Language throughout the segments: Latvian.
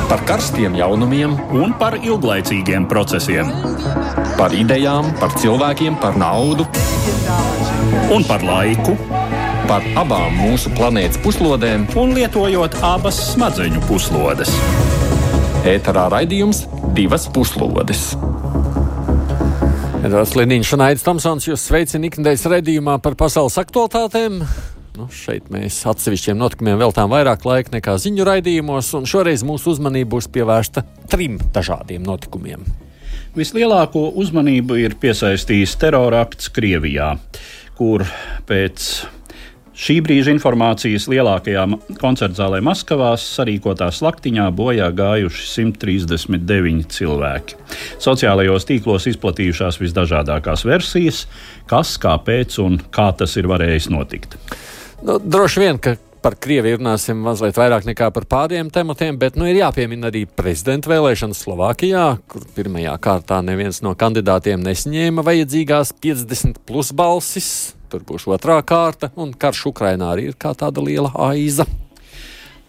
Par karstiem jaunumiem un par ilglaicīgiem procesiem. Par idejām, par cilvēkiem, par naudu un par laiku. Par abām mūsu planētas puslodēm Un lietojot abas smadzeņu puslodes. ēterā raidījums Divas puslodes. Edvards Liniņš un Aidis Tomsons jūs sveicina ikdienas raidījumā par pasaules aktualitātēm. Šeit mēs atsevišķiem notikumiem veltām vairāk laika nekā ziņu raidījumos, un šoreiz mūsu uzmanība būs pievērsta 3 dažādiem notikumiem. Vislielāko uzmanību ir piesaistījis terorakts Krievijā, kur pēc šī brīža informācijas lielākajā koncertzālē Maskavā sarīkotā slaktiņā bojā gājuši 139 cilvēki. Sociālajos tīklos izplatījušās visdažādākās versijas, kas, kāpēc un kā tas ir varējis notikt. Droši vien, ka par Krieviju runāsim mazliet vairāk nekā par pārējiem tematiem, bet ir jāpiemina arī prezidenta vēlēšanas Slovākijā, kur pirmajā kārtā neviens no kandidātiem nesaņēma vajadzīgās 50+ balsis. Tur būs otrā kārta, un karš Ukrainā arī ir kā tāda liela aiza.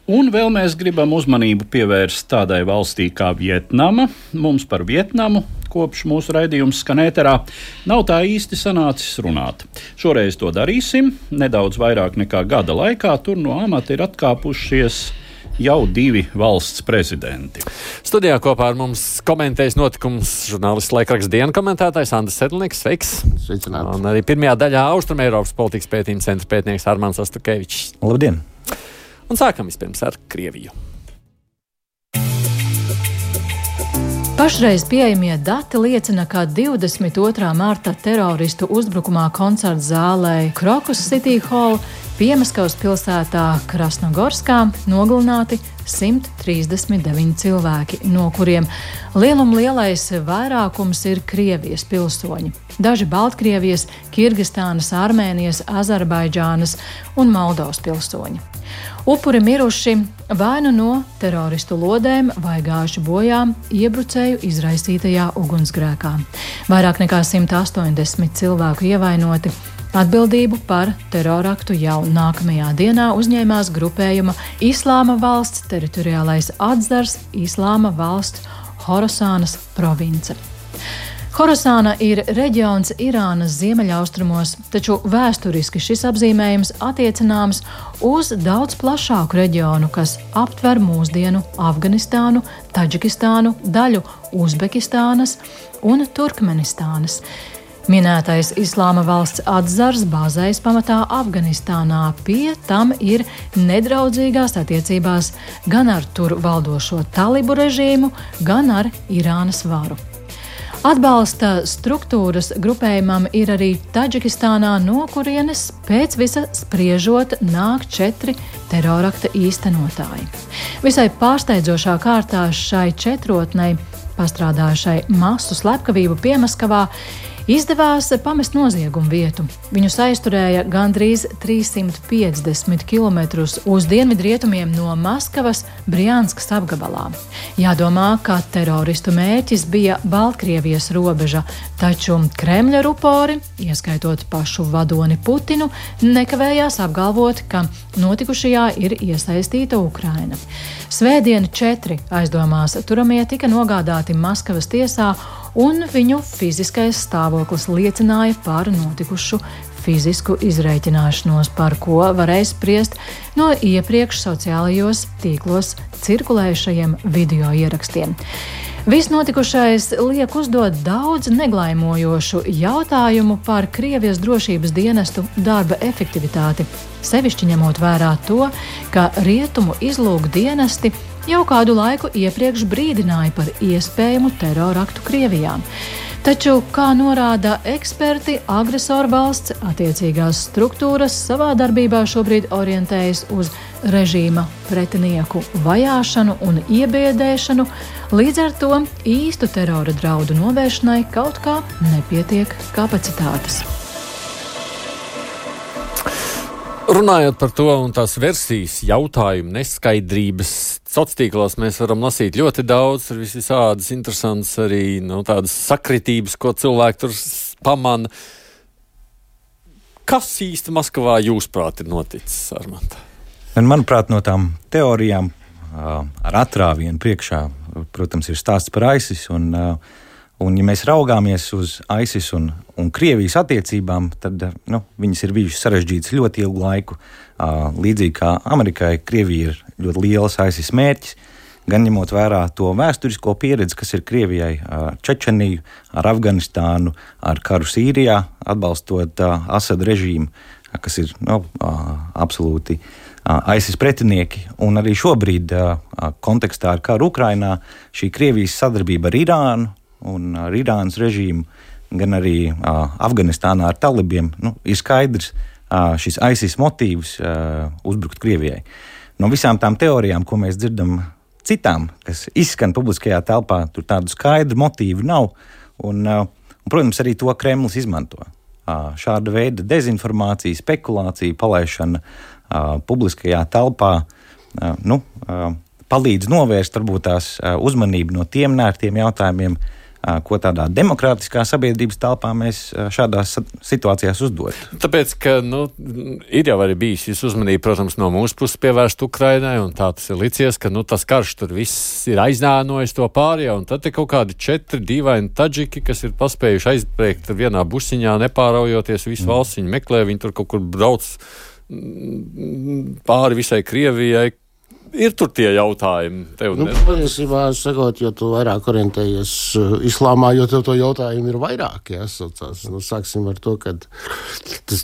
Un vēl mēs gribam uzmanību pievērst tādai valstī kā Vietnama. Mums par Vietnamu, kopš mūsu raidījums skan ēterā, nav tā īsti sanācis runāt. Šoreiz to darīsim. Nedaudz vairāk nekā gada laikā tur no amata ir atkāpušies jau 2 valsts prezidenti. Studijā kopā ar mums komentējas notikums žurnālists laikraksta Diena komentētājs Andris Sedlnieks. Sveiks! Sveicināti! Un arī pirmajā daļā Austrumeiropas politikas pētījuma centra pētnieks Armāns Astukevičs. Labdien! Un sākam vispirms ar Krieviju. Pašreiz pieejamie dati liecina, ka 22. marta teroristu uzbrukumā koncerta zālē Krokus City Hall Piemaskavas pilsētā Krasnogorskā nogalināti 139 cilvēki, no kuriem lielais vairākums ir Krievijas pilsoņi. Daži Baltkrievijas, Kirgistānas, Armēnijas, Azerbaidžānas un Moldovas pilsoņi. Upuri miruši vai nu no teroristu lodēm vai gājuši bojā iebrucēju izraisītajā ugunsgrēkā. Vairāk nekā 180 cilvēku ievainoti. Atbildību par teroraktu jau nākamajā dienā uzņēmās grupējuma Islāma valsts teritoriālais atzars Islāma valsts Horasānas province. Horasāna ir reģions Irānas ziemeļaustrumos, taču vēsturiski šis apzīmējums attiecināms uz daudz plašāku reģionu, kas aptver mūsdienu Afganistānu, Taģikistānu, daļu Uzbekistānas un Turkmenistānas. Minētais Islāma valsts atzars bāzējas pamatā Afganistānā, pie tam ir nedraudzīgās attiecībās gan ar tur valdošo talibu režīmu, gan ar Irānas varu. Atbalsta struktūras grupējumam ir arī Taģikistānā, no kurienes pēc visa spriežot nāk 4 terorakta īstenotāji. Visai pārsteidzošā kārtā šai četrotnei, pastrādājušai masu slepkavību Piemaskavā, izdevās pamest noziegumu vietu. Viņus aizturēja gandrīz 350 km uz dienvidrietumiem no Maskavas Brianskas apgabalā. Jādomā, ka teroristu mērķis bija Baltkrievijas robeža, taču Kremļa rupori, ieskaitot pašu vadoni Putinu, nekavējās apgalvot, ka notikušajā ir iesaistīta Ukraina. Svētdien 4 aizdomās turamie tika nogādāti Maskavas tiesā, un viņu fiziskais stāvoklis liecināja par notikušu fizisku izreikināšanos, par ko varēja spriest no iepriekš sociālajos tīklos cirkulējušajiem video ierakstiem. Viss notikušais liek uzdot daudz neglaimojošu jautājumu par Krievijas drošības dienestu darba efektivitāti, sevišķi ņemot vērā to, ka rietumu izlūk dienesti jau kādu laiku iepriekš brīdināja par iespējamu teroraktu Krievijā. Taču, kā norāda eksperti, agresoru valsts attiecīgās struktūras savā darbībā šobrīd orientējas uz režīma pretinieku vajāšanu un iebiedēšanu, līdz ar to īstu terora draudu novēršanai kaut kā nepietiek kapacitātes. Runājot par to un tās versijas, jautājumu, neskaidrības, sociālos tīklos mēs varam lasīt ļoti daudz, ir visādas interesantas arī tādas sakritības, ko cilvēki tur pamana. Kas īsti Maskavā jūsuprāt ir noticis, Armand? Manuprāt, no tām teorijām ar atrāvienu priekšā, protams, ir stāsts par ISIS. Un ja mēs raugāmies uz ISIS un Krievijas attiecībām, tad viņas ir bijušas sarežģītas ļoti ilgu laiku. Līdzīgi kā Amerikai, Krievija ir ļoti liels ISIS mērķis, gan ņemot vērā to vēsturisko pieredzi, kas ir Krievijai ar Čečeniju, ar Afganistānu, ar karu Sīrijā, atbalstot Asad režīmu, kas ir absolūti ISIS pretinieki. Un arī šobrīd kontekstā ar karu Ukrainā šī Krievijas sadarbība ar Irānu un ar Irānas režīmu, gan arī Afganistānā ar talibiem, ir skaidrs šis ISIS motīvs uzbrukt Krievijai. No visām tām teorijām, ko mēs dzirdam citām, kas izskan publiskajā telpā, tur tādu skaidru motīvu nav. Un, protams, arī to Kremlis izmanto. Šāda veida dezinformācija, spekulācija, palaišana publiskajā telpā palīdz novērst varbūt tās uzmanību no tiem nērtiem jautājumiem, ko tādā demokrātiskā sabiedrības telpā mēs šādās situācijās uzdot. Tāpēc, ka ir jau arī bijis šis uzmanība, protams, no mūsu puses pievērst Ukrainai, un tā tas ir licies, ka tas karš tur viss ir aiznānojis to pārējā, un tad ir kaut kādi 4 dīvaini taģiki, kas ir paspējuši aizbrēkt vienā busiņā, nepāraujoties visu valsts, viņi meklē, viņi tur kaut kur brauc pāri visai Krievijai. Ir tur tie jautājumi. Patiesībā, sakot, jo tu vairāk orientējies islāmā, jo tev to jautājumu ir vairāk, jāsaucās. Sāksim ar to, ka tas,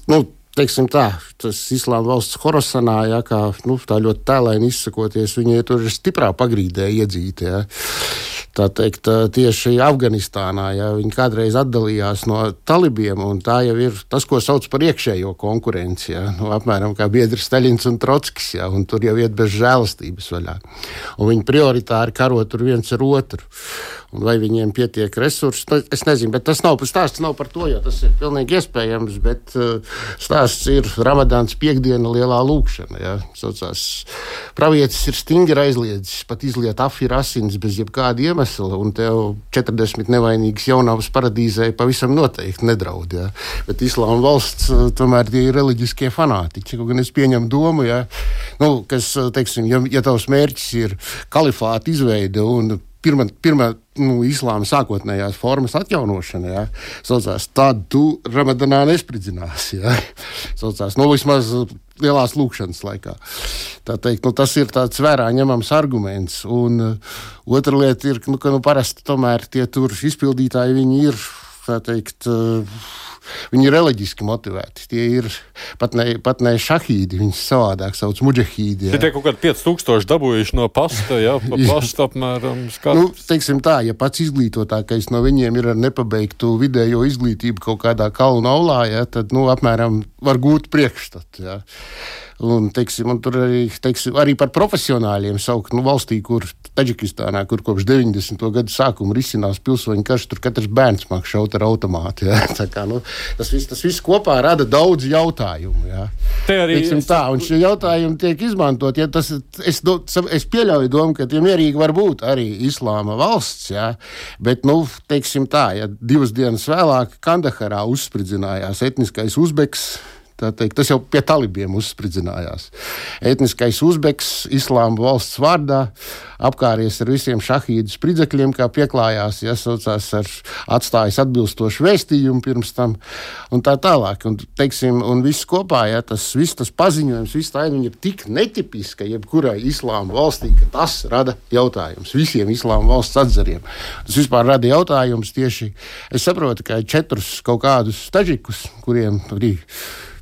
teiksim tā, tas islāma valsts Horasanā, kā tā ļoti tēlaini izsakoties, viņi tur ir stiprā pagrīdē iedzīti, Tā teikt, tieši Afganistānā, viņi kādreiz atdalījās no talibiem, un tā jau ir tas, ko sauc par iekšējo konkurenci, apmēram kā biedri Staļins un Trotskis, un tur jau iet bez žēlastības vaļā. Un viņi prioritāri karo tur viens ar otru. Un vai viņiem pietiek resursi, es nezinu, bet stāsts nav par to, jo tas ir pilnīgi iespējams, bet stāsts ir Ramadāns piekdiena lielā lūkšana, Saucās, pravietis ir stingri aizliedzis pat izliet afira asins bez jebkāda iemesla, un tev 40 nevainīgas jaunavas paradīzē pavisam noteikti nedraud, Bet islāma valsts tomēr tie ir reliģiskie fanātiķi, kaut gan es pieņemu domu, kas, teiksim, ja tavs mērķis ir kalifāta izveide un pirmā islāma sākotnējās formas atjaunošana, saucās, tad tu Ramadanā nespridzināsi, Saucās, vismaz lielās lūkšanas laikā. Tā teikt, tas ir tāds vērā ņemams arguments, un otra lieta ir, ka parasti tomēr tie tur izpildītāji, viņi ir, tā teikt, viņi ir reliģiski motivēti. Tie ir pat ne šahīdi, viņus savādāk sauc muģahīdi. Tie kaut kādi 5000 dabūjuši no pasta, pa pastu apmēram skatu. Teiksim tā, ja pats izglītotākais no viņiem ir ar nepabeigtu vidējo izglītību kaut kādā kalnu aulā, tad, apmēram var gūt priekšstatu, Un, un tur arī par profesionāļiem saukt, valstī, kur Taģikistānā, kur kopš 90. gadu sākuma risinās pilsoņu karš, tur katrs bērns māk šaut ar automātu, Tā kā, tas viss kopā rada daudz jautājumu, Tā, un šie jautājumi tiek izmantot, es pieļauju domu, ka tie mierīgi var būt arī islāma valsts, bet, tā, 2 dienas vēlāk Kandaharā uzspridzinājās etniskais uzbeks, tā teikt, tas jau pie talibiem uzspridzinājās. Etniskais uzbeks islāma valsts vārdā apkāries ar visiem šahīdu spridzekļiem, kā pieklājās, saucās ar atstājis atbilstošu vēstījumu pirms tam, un tā tālāk. Un viss kopā, tas paziņojums, viss tā ir tik netipiska jebkurai islāma valstī, ka tas rada jautājums visiem islāma valsts atzariem. Tas vispār rada jautājums tieši, es saprotu, ka 4 kaut kādus taģikus, kuriem arī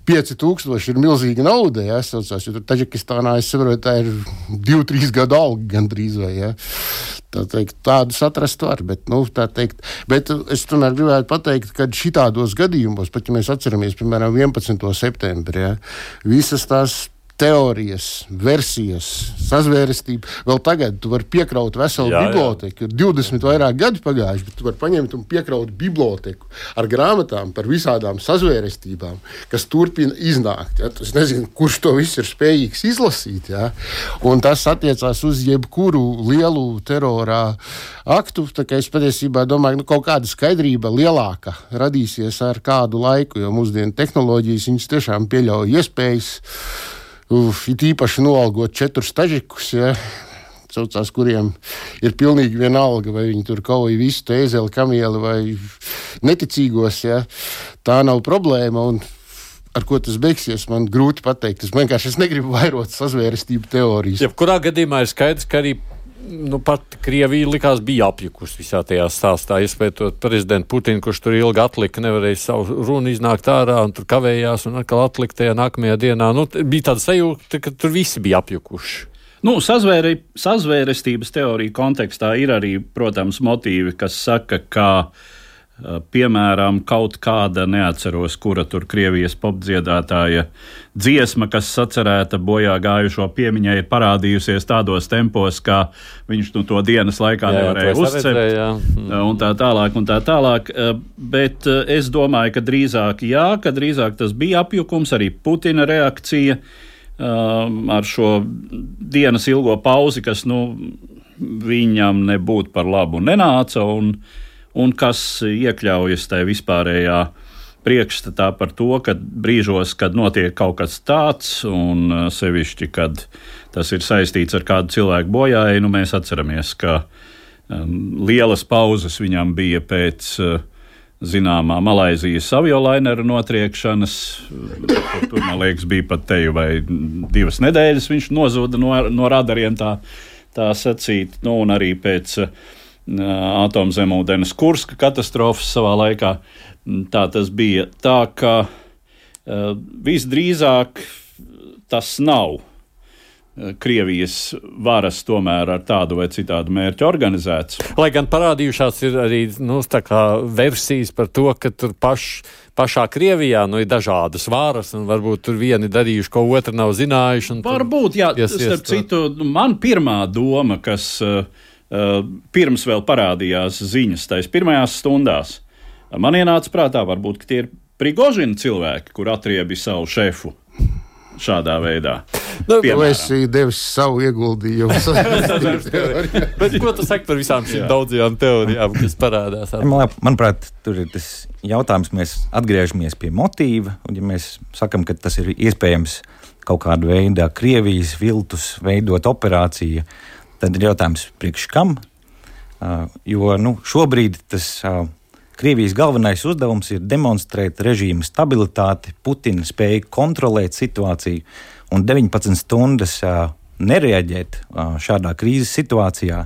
5000 ir milzīga nauda, saucās, jo tur Taģikistānā, es saprotu, tā ir 2-3 gadu alga gandrīz vai, Tā teikt, tādus atrast var, bet es tomēr gribētu pateikt, ka šitādos gadījumos, pat ja mēs atceramies, piemēram, 11. septembri, visas tās teorijas, versijas, sazvērestība. Vēl tagad tu vari piekraut veselu biblioteku. Ir 20 vairāk gadi pagājuši, bet tu vari paņemt un piekraut biblioteku ar grāmatām par visādām sazvērestībām, kas turpina iznākt. Es nezinu, kurš to viss ir spējīgs izlasīt. Un tas attiecās uz jebkuru lielu terorā aktu. Tā kā es patiesībā domāju, kaut kāda skaidrība lielāka radīsies ar kādu laiku, jo mūsdienu tehnoloģijas viņas tiešām pieļauj iespējas. It īpaši noalgot 4 tažikus, saucās, kuriem ir pilnīgi vienalga, vai viņi tur kauj visu ēzeli, kamieli vai neticīgos, ja? Tā nav problēma, un ar ko tas beigsies, man grūti pateikt. Es negribu vairot sazvērestību teorijas. Jebkurā gadījumā ir skaidrs, ka arī pat Krievija likās bija apjukusi visā tajā stāstā, iespējot prezidentu Putinu, kurš tur ilgi atlika, nevarēja savu runu iznākt ārā un tur kavējās un atkal atlika tajā nākamajā dienā. Bija tāda sajūta, ka tur visi bija apjukuši. Sazvērestības teorija kontekstā ir arī, protams, motīvi, kas saka, ka piemēram, kaut kāda, neatceros, kura tur Krievijas popdziedātāja dziesma, kas sacerēta bojā gājušo piemiņai, ir parādījusies tādos tempos, kā viņš to dienas laikā nevarēja uzcept, un tā tālāk. Bet es domāju, ka drīzāk tas bija apjukums, arī Putina reakcija ar šo dienas ilgo pauzi, kas viņam nebūtu par labu nenāca, un kas iekļaujas tajā vispārējā priekšstatā par to, ka brīžos, kad notiek kaut kas tāds, un sevišķi, kad tas ir saistīts ar kādu cilvēku bojāju, mēs atceramies, ka lielas pauzes viņam bija pēc zināmā Malaizijas aviolainera notriekšanas. Tur, man liekas, bija pat teju vai 2 nedēļas viņš nozuda no radariem, tā sacīt, un arī pēc atomzemūdens Kurska katastrofas savā laikā. Tā tas bija. Tā ka visdrīzāk tas nav Krievijas varas tomēr ar tādu vai citādu mērķu organizēts. Lai gan parādījušās ir arī versijas par to, ka tur pašā Krievijā ir dažādas varas, un varbūt tur vieni darījuši, ko otru nav zinājuši. Varbūt, jā, starp citu, man pirmā doma, kas pirms vēl parādījās ziņas tais pirmajās stundās, man ienāca prātā, varbūt, ka tie ir Prigožina cilvēki, kur atriebi savu šefu šādā veidā. Tu esi devis savu ieguldījumu. Bet ko tu saki par visām šīm daudzajām teorijām, kas parādās? Manuprāt, tur ir tas jautājums, mēs atgriežamies pie motīva, un ja mēs sakam, ka tas ir iespējams kaut kādu veidā Krievijas viltus veidot operāciju, tad ir jautājums priekš kam, jo šobrīd tas Krievijas galvenais uzdevums ir demonstrēt režīma stabilitāti, Putina spēju kontrolēt situāciju un 19 stundas nereaģēt šādā krīzes situācijā.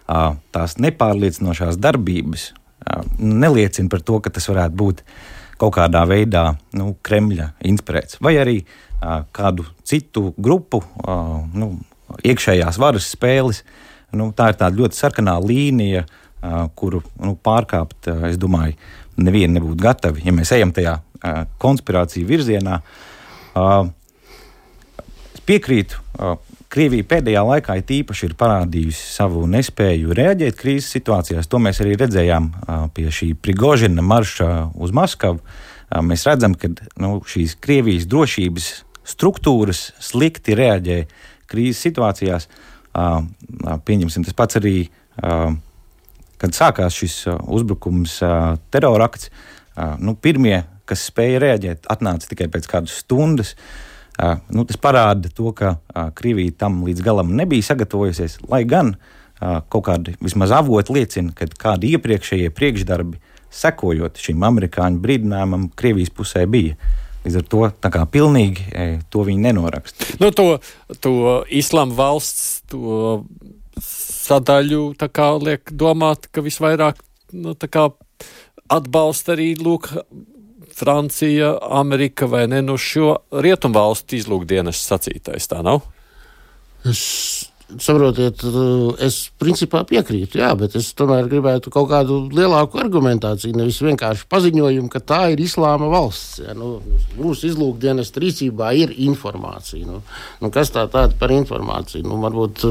Tās nepārliecinošās darbības neliecina par to, ka tas varētu būt kaut kādā veidā Kremļa inspirēts, vai arī kādu citu grupu iekšējās varas spēles. Tā ir tāda ļoti sarkanā līnija, kuru pārkāpt, es domāju, nevieni nebūtu gatavi, ja mēs ejam tajā konspirāciju virzienā. Es piekrītu, Krievija pēdējā laikā īpaši ir parādījusi savu nespēju reaģēt krīzes situācijās. To mēs arī redzējām pie šī Prigožina marša uz Maskavu. Mēs redzam, ka šīs Krievijas drošības struktūras slikti reaģē krīzes situācijās. Pieņemsim, tas pats arī, kad sākās šis uzbrukums, terorakts, pirmie, kas spēja reaģēt, atnāca tikai pēc kādas stundas. Tas parāda to, ka Krievija tam līdz galam nebija sagatavojusies, lai gan kaut kādi vismaz avoti liecina, ka kādi iepriekšējie priekšdarbi, sekojot šim amerikāņu brīdinājumam, Krievijas pusē bija. Līdz ar to tā kā pilnīgi to viņi nenoraksta. To Islāma valsts, to sadaļu tā kā liek domāt, ka visvairāk atbalsta arī Francija, Amerika vai ne, šo rietumvalstu izlūkdienas sacītais, tā nav? Saprotiet, es principā piekrītu, jā, bet es tomēr gribētu kaut kādu lielāku argumentāciju, nevis vienkārši paziņojumu, ka tā ir Islāma valsts. Ja, mūsu izlūkdienas rīcībā ir informācija. Kas tāda par informāciju? Varbūt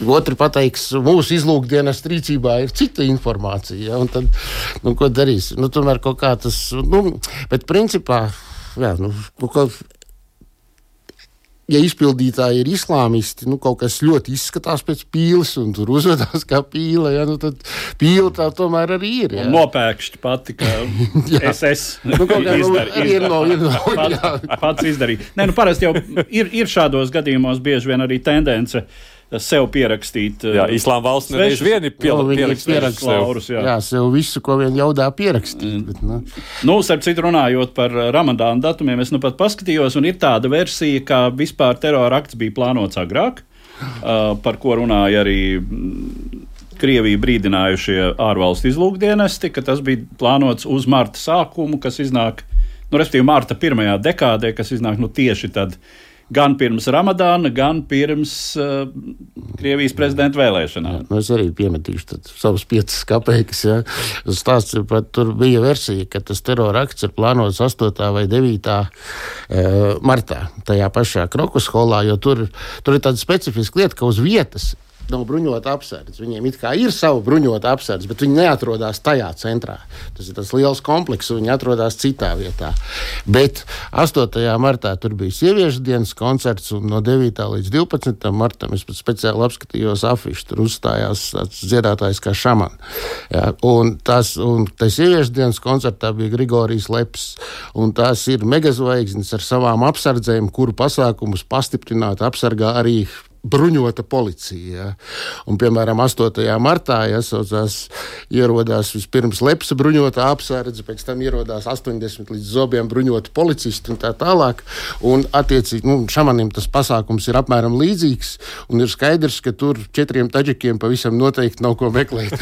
otri pateiks, mūsu izlūkdienas rīcībā ir cita informācija, ja, un tad, ko darīs? Tomēr kaut kā tas, bet principā, jā, ja izpildītāji ir islāmisti, kaut kas ļoti izskatās pēc pīles, un tur uzvedās kā pīle, ja, tad pīle tā tomēr arī ir. Ja. Nopēkšķi pati, ka SS ir pats izdarīja. Nē, parasti jau ir šādos gadījumos bieži vien arī tendence sev pierakstīt. Jā, Islāma valsts nereiz vien ir pierakstījuši laurus. Jā, sev visu, ko vien ļaudā pierakstīt. Bet, starp citu runājot par Ramadāna datumiem, es nu pat paskatījos, un ir tāda versija, ka vispār terora akts bija plānots agrāk, par ko runāja arī Krieviju brīdinājušie ārvalstu izlūkdienesti, ka tas bija plānots uz marta sākumu, kas iznāk, respektīvi marta pirmajā dekādē, kas iznāk tieši tad, gan pirms Ramadāna, gan pirms Krievijas prezidenta vēlēšanām. Es arī piemetīšu savus 5 kapeikas. Ja. Stāsts pat tur bija versija, ka tas terora akts ir plānots 8. vai 9. Martā, tajā pašā Krokus holā, jo tur ir tāda specifiska lieta, ka uz vietas nav bruņota apsardze. Viņiem it kā ir sava bruņota apsardze, bet viņi neatrodās tajā centrā. Tas ir tas liels komplekss, un viņi atrodās citā vietā. Bet 8. martā tur bija sieviešu dienas koncerts, un no 9. līdz 12. martam es pat speciāli apskatījos afišu. Tur uzstājās dziedātājs kā šaman. Ja, un sieviešu dienas koncertā bija Grigorijs Leps, un tās ir megazvaigznes ar savām apsardzēm, kuru pasākumus pastiprināt apsargā arī bruņota policija. Ja. Un, piemēram, 8. martā ierodās vispirms Lepsa bruņota apsardze, pēc tam ierodās 80 līdz zobiem bruņota policisti un tā tālāk. Un, attiecīgi, šamanim tas pasākums ir apmēram līdzīgs, un ir skaidrs, ka tur 4 taģikiem pavisam noteikti nav ko meklēt.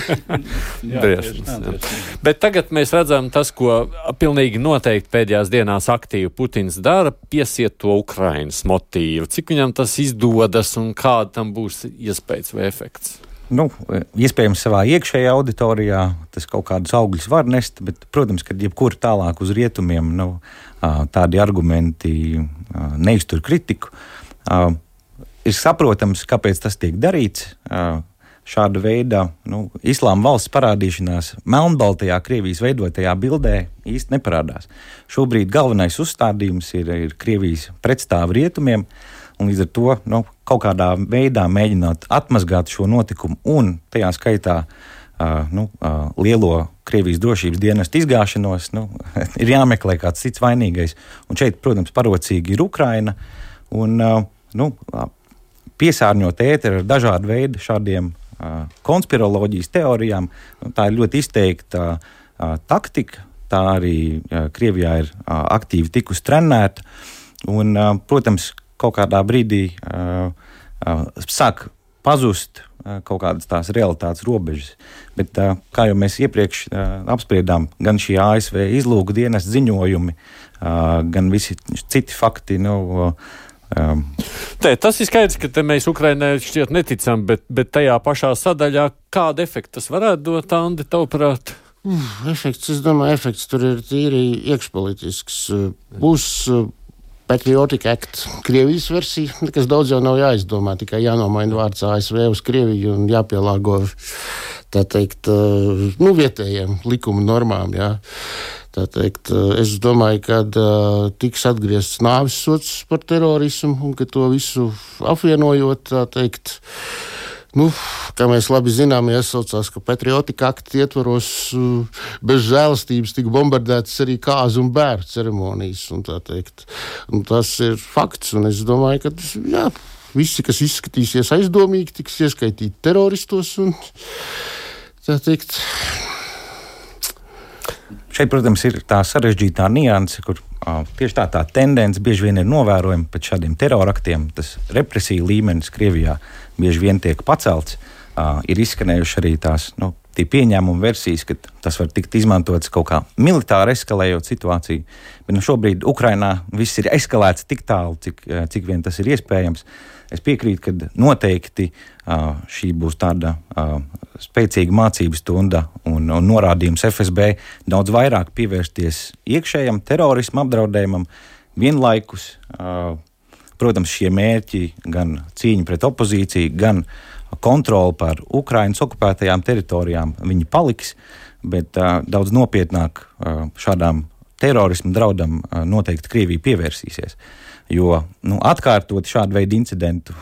Bet tagad mēs redzam tas, ko pilnīgi noteikti pēdējās dienās aktīvi Putins dara, piesiet to Ukrainas motīvu. Cik viņam tas izdodas un kāda tam būs iespējas vai efekts? Iespējams, savā iekšējā auditorijā tas kaut kādus augļus var nest, bet, protams, kad jebkur tālāk uz rietumiem tādi argumenti neiztur kritiku. Ir saprotams, kāpēc tas tiek darīts. Šāda veida Islāma valsts parādīšanās melnbaltajā Krievijas veidotajā bildē īsti neparādās. Šobrīd galvenais uzstādījums ir Krievijas pretstāvi rietumiem, un līdz ar to kaut kādā veidā mēģināt atmazgāt šo notikumu un tajā skaitā lielo Krievijas drošības dienestu izgāšanos, ir jāmeklē kāds cits vainīgais. Un šeit, protams, parocīgi ir Ukraina un piesārņot ēteru ar dažādu veidu šādiem konspiroloģijas teorijām. Tā ir ļoti izteikta taktika, tā arī Krievijā ir aktīvi tikusi trenēta un, protams, kaut kādā brīdī sāk pazust kaut kādas tās realitātes robežas. Bet, kā jau mēs iepriekš apspriedām, gan šī ASV izlūku dienas ziņojumi, gan visi citi fakti, Tas ir skaidrs, ka mēs Ukrainai šķiet neticam, bet tajā pašā sadaļā kāda efekta tas varētu dot, Andi, tavuprāt? Efekts, es domāju, tur ir tīri iekšpolitisks. Būs Patriotic Act, Krievijas versija, nekas daudz jau nav jāizdomā, tikai jānomaina vārds ASV uz Krieviju un jāpielāgo, tā teikt, vietējiem likuma normām, jā. Tā teikt, es domāju, ka tiks atgriezts nāves sods par terorismu un ka to visu apvienojot, tā teikt, kā mēs labi zinām, iesaucās, ka Patriotic Act ietvaros bez žēlastības tika bombardētas arī kāzu un bērnu ceremonijas, un tā teikt. Un tas ir fakts, un es domāju, ka visi, kas izskatīsies aizdomīgi, tiks ieskaitīti teroristos, un tā teikt. Šeit, protams, ir tā sarežģītā nianse, kur tieši tā tendence bieži vien ir novērojama pēc šādiem teroraktiem. Tas represiju līmenis Krievijā bieži vien tiek pacelts. Ir izskanējuši arī tās tie pieņēmuma versijas, ka tas var tikt izmantots kaut kā militāri eskalējot situāciju. Bet šobrīd Ukrainā viss ir eskalēts tik tālu, cik vien tas ir iespējams. Es piekrītu, ka noteikti šī būs tāda spēcīga mācības stunda un norādījums FSB daudz vairāk pievērsties iekšējam terorismu apdraudējumam, vienlaikus, protams, šie mērķi gan cīņa pret opozīciju, gan kontroli pār Ukrainas okupētajām teritorijām, viņi paliks, bet daudz nopietnāk šādām terorismu draudam noteikti Krievija pievērsīsies. Jo atkārtot šādu veidu incidentu,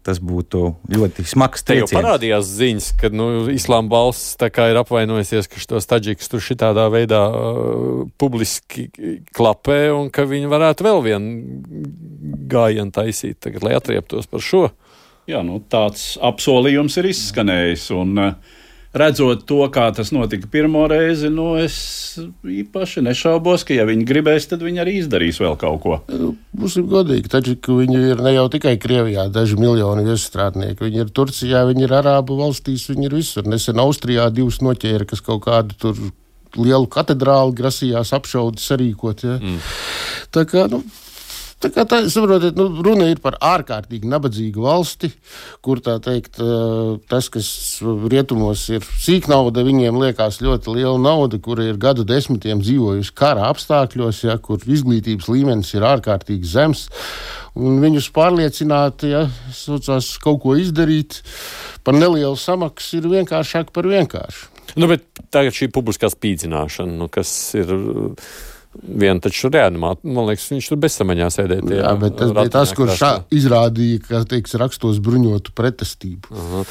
tas būtu ļoti smags trieciens. Te jau parādījās ziņas, ka Islāma valsts tā kā ir apvainojusies, ka šitos taģikus tur šitādā veidā publiski klapē un ka viņi varētu vēl vienu gājienu taisīt tagad, lai atrieptos par šo. Jā, tāds apsolījums ir izskanējis, un redzot to, kā tas notika pirmo reizi, es īpaši nešaubos, ka, ja viņi gribēs, tad viņi arī izdarīs vēl kaut ko. Būsim godīgi, taču viņi ir ne jau tikai Krievijā daži miljoni viestrādnieki. Viņi ir Turcijā, viņi ir Arābu valstīs, viņi ir visur. Nesen Austrijā 2 noķēra, kas kaut kādu tur lielu katedrāli grasījās apšaudi sarīkot. Ja? Saprotiet, runa ir par ārkārtīgi nabadzīgu valsti, kur tā teikt, tas, kas rietumos ir sīknauda, viņiem liekas ļoti liela nauda, kura ir gadu desmitiem dzīvojusi kara apstākļos, ja, kur izglītības līmenis ir ārkārtīgi zems, un viņus pārliecināt, ja, saucās kaut ko izdarīt par nelielu samaksu ir vienkāršāk par vienkāršu. Bet tagad šī publiskā spīdzināšana, kas ir... Vienu taču reanimāt, man liekas, viņš tur bezsamaņā sēdēja. Jā, bet tas bija tas, kurš izrādīja, ka, rakstos bruņotu pretestību.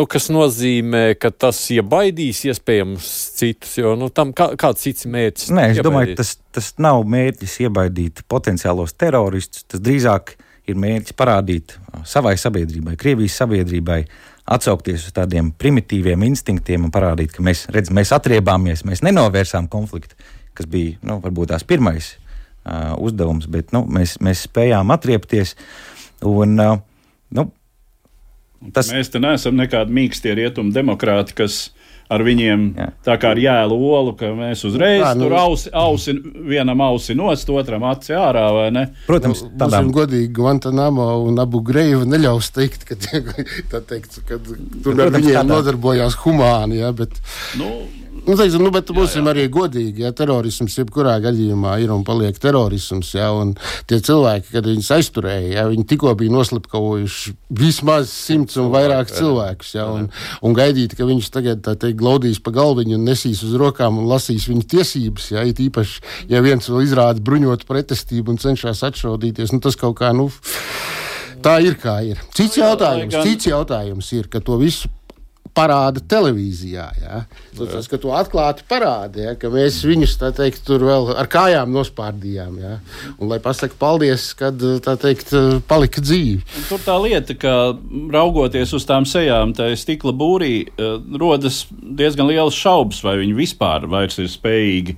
Kas nozīmē, ka tas iebaidīs iespējams citus, jo, tam kāds cits mērķis? Nē, es domāju, tas nav mērķis iebaidīt potenciālos teroristus, tas drīzāk ir mērķis parādīt savai sabiedrībai, Krievijas sabiedrībai, atsaukties uz tādiem primitīviem instinktiem un parādīt, ka mēs atriebāmies, mēs nenovērsām konfliktu, kas bija, varbūt tās pirmais uzdevums, bet, mēs spējām atriepties, un, tas... Mēs te neesam nekādi mīkstie rietumu demokrāti, kas ar viņiem tā kā ar jēlu olu, ka mēs uzreiz tur ausi vienam ausi nost, otram aci ārā, vai ne? Protams, būsim godīgi, Guantanamo un Abu Greiva neļaus teikt, ka tur ar viņiem nodarbojās humāni, ja, bet... bet būsim arī godīgi, ja terorisms jebkurā gadījumā ir un paliek terorisms, ja, un tie cilvēki, kad viņus aizturēja, ja, viņi tikko bija noslapkavojuši vismaz 100 un vairāk cilvēkus, ja, un gaidīt, ka viņš tagad, glaudīs pa galviņu un nesīs uz rokām un lasīs viņu tiesības, ja, it īpaši, ja viens vēl izrāda bruņotu pretestību un cenšas atšaudīties, tas kaut kā, tā ir kā ir. Cits jautājums ir, ka to visu parāda televīzijā, ja? Tas, ka to atklāti parāda, ja? Ka mēs viņus, tur vēl ar kājām nospārdījām, ja? Un lai pasaka paldies, kad, palika dzīvi. Un tur tā lieta, ka raugoties uz tām sejām, tā stikla būrī, rodas diezgan liels šaubas, vai viņi vispār vairs ir spējīgi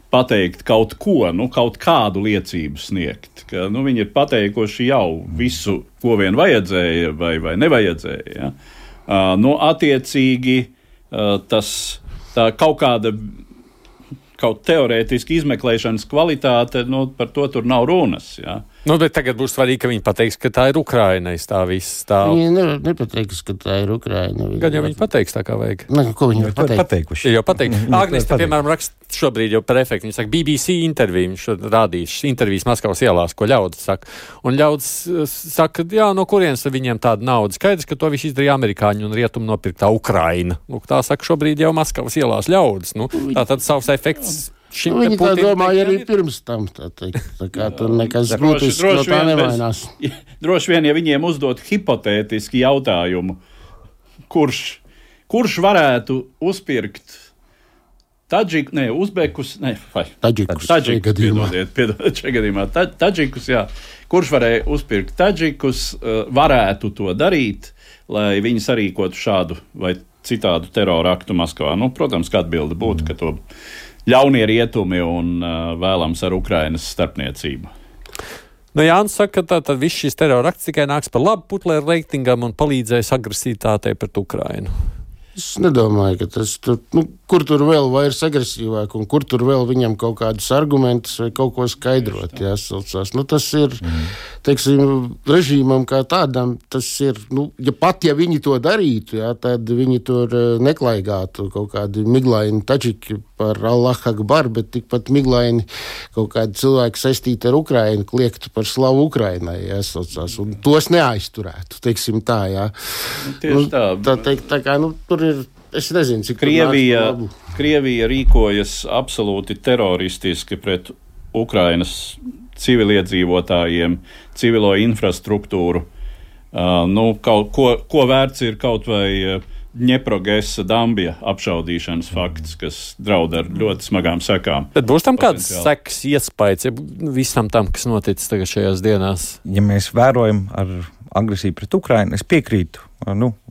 pateikt kaut ko, kaut kādu liecību sniegt. Ka, viņi ir pateikuši jau visu, ko vien vajadzēja vai nevajadzēja, ja? Attiecīgi tā kaut teorētiski izmeklēšanas kvalitāte, par to tur nav runas, jā. Bet tagad būs svarīgi, ka viņi pateiks, ka tā ir Ukraina, tā viss stāv. Viņi nepateiks, ka tā ir Ukraina. Gan jau viņi pateiks tā kā vajag. Ko viņi pateikuši? Jau pateikt. Agnes, piemēram, raksta šobrīd jau par efektu. Viņi saka, BBC interviju, viņš rādīs intervijas Maskavas ielās, ko ļaudis saka. Un ļaudis saka, no kurienes viņiem tāda nauda. Skaidrs, ka to visu izdarīja amerikāņi un rietumi nopirktā Ukraina. Tā saka šobrīd jau Maskavas ielās ļaudis. Tā tad savs efekts. Viņi tā domāja arī pirms tam, tā kā tur nekas būtisks no tā nevainās. Droši vien, ja viņiem uzdot hipotētiski jautājumu, kurš varētu uzpirkt Uzbekus, Tadžikus, jā. Kurš varēja uzpirkt Tadžikus, varētu to darīt, lai viņi sarīkotu šādu vai citādu terora aktu Maskavā. Protams, kā atbilde būtu, ka to ļaunie rietumi un vēlams ar Ukrainas starpniecību. Jānis saka, ka tad viss šis terora akts tikai nāks par labu Putlera reitingam un palīdzēs agresivitātei pret Ukrainu. Es nedomāju, ka tas tur, kur tur vēl vairs agresīvāk un kur tur vēl viņam kaut kādus argumentus vai kaut ko skaidrot jāsaucās. Tas ir, režīmam kā tādam, tas ir, ja viņi to darītu, tad viņi tur neklaigātu kaut kādi miglaini taģiki par Allah Akbar, bet tikpat miglaini kaut kādi cilvēki saistīti ar Ukrainu kliegtu par slavu Ukrainai, jāsaucās, un tos neaizturētu, tā, jā. Tieši tā. Tā kā, tur ir, es nezinu, cik Krievija rīkojas absolūti teroristiski pret Ukrainas civiliedzīvotājiem, civilo infrastruktūru. Ko vērts ir kaut vai Dņeprogesa Dambja apšaudīšanas fakts, kas draud ar ļoti smagām sekām. Bet būs tam kāds sekas iespējas visam tam, kas noticis tagad šajās dienās? Ja mēs vērojam ar agresiju pret Ukrainu. Es piekrītu,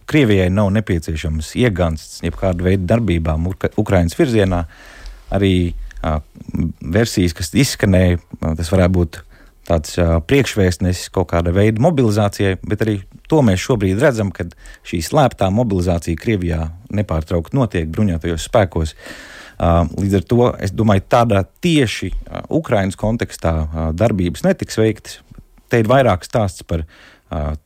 Krievijai nav nepieciešams iegansts jebkāda veida darbībām Ukrainas virzienā. Arī versijas, kas izskanēja, tas varētu būt tāds priekšvēstnesis kaut kāda veida mobilizācijai, bet arī to mēs šobrīd redzam, kad šī slēptā mobilizācija Krievijā nepārtraukti notiek bruņotajos spēkos. Līdz ar to, es domāju, tādā tieši Ukrainas kontekstā darbības netiks veiktas. Te ir vairāk stāsts par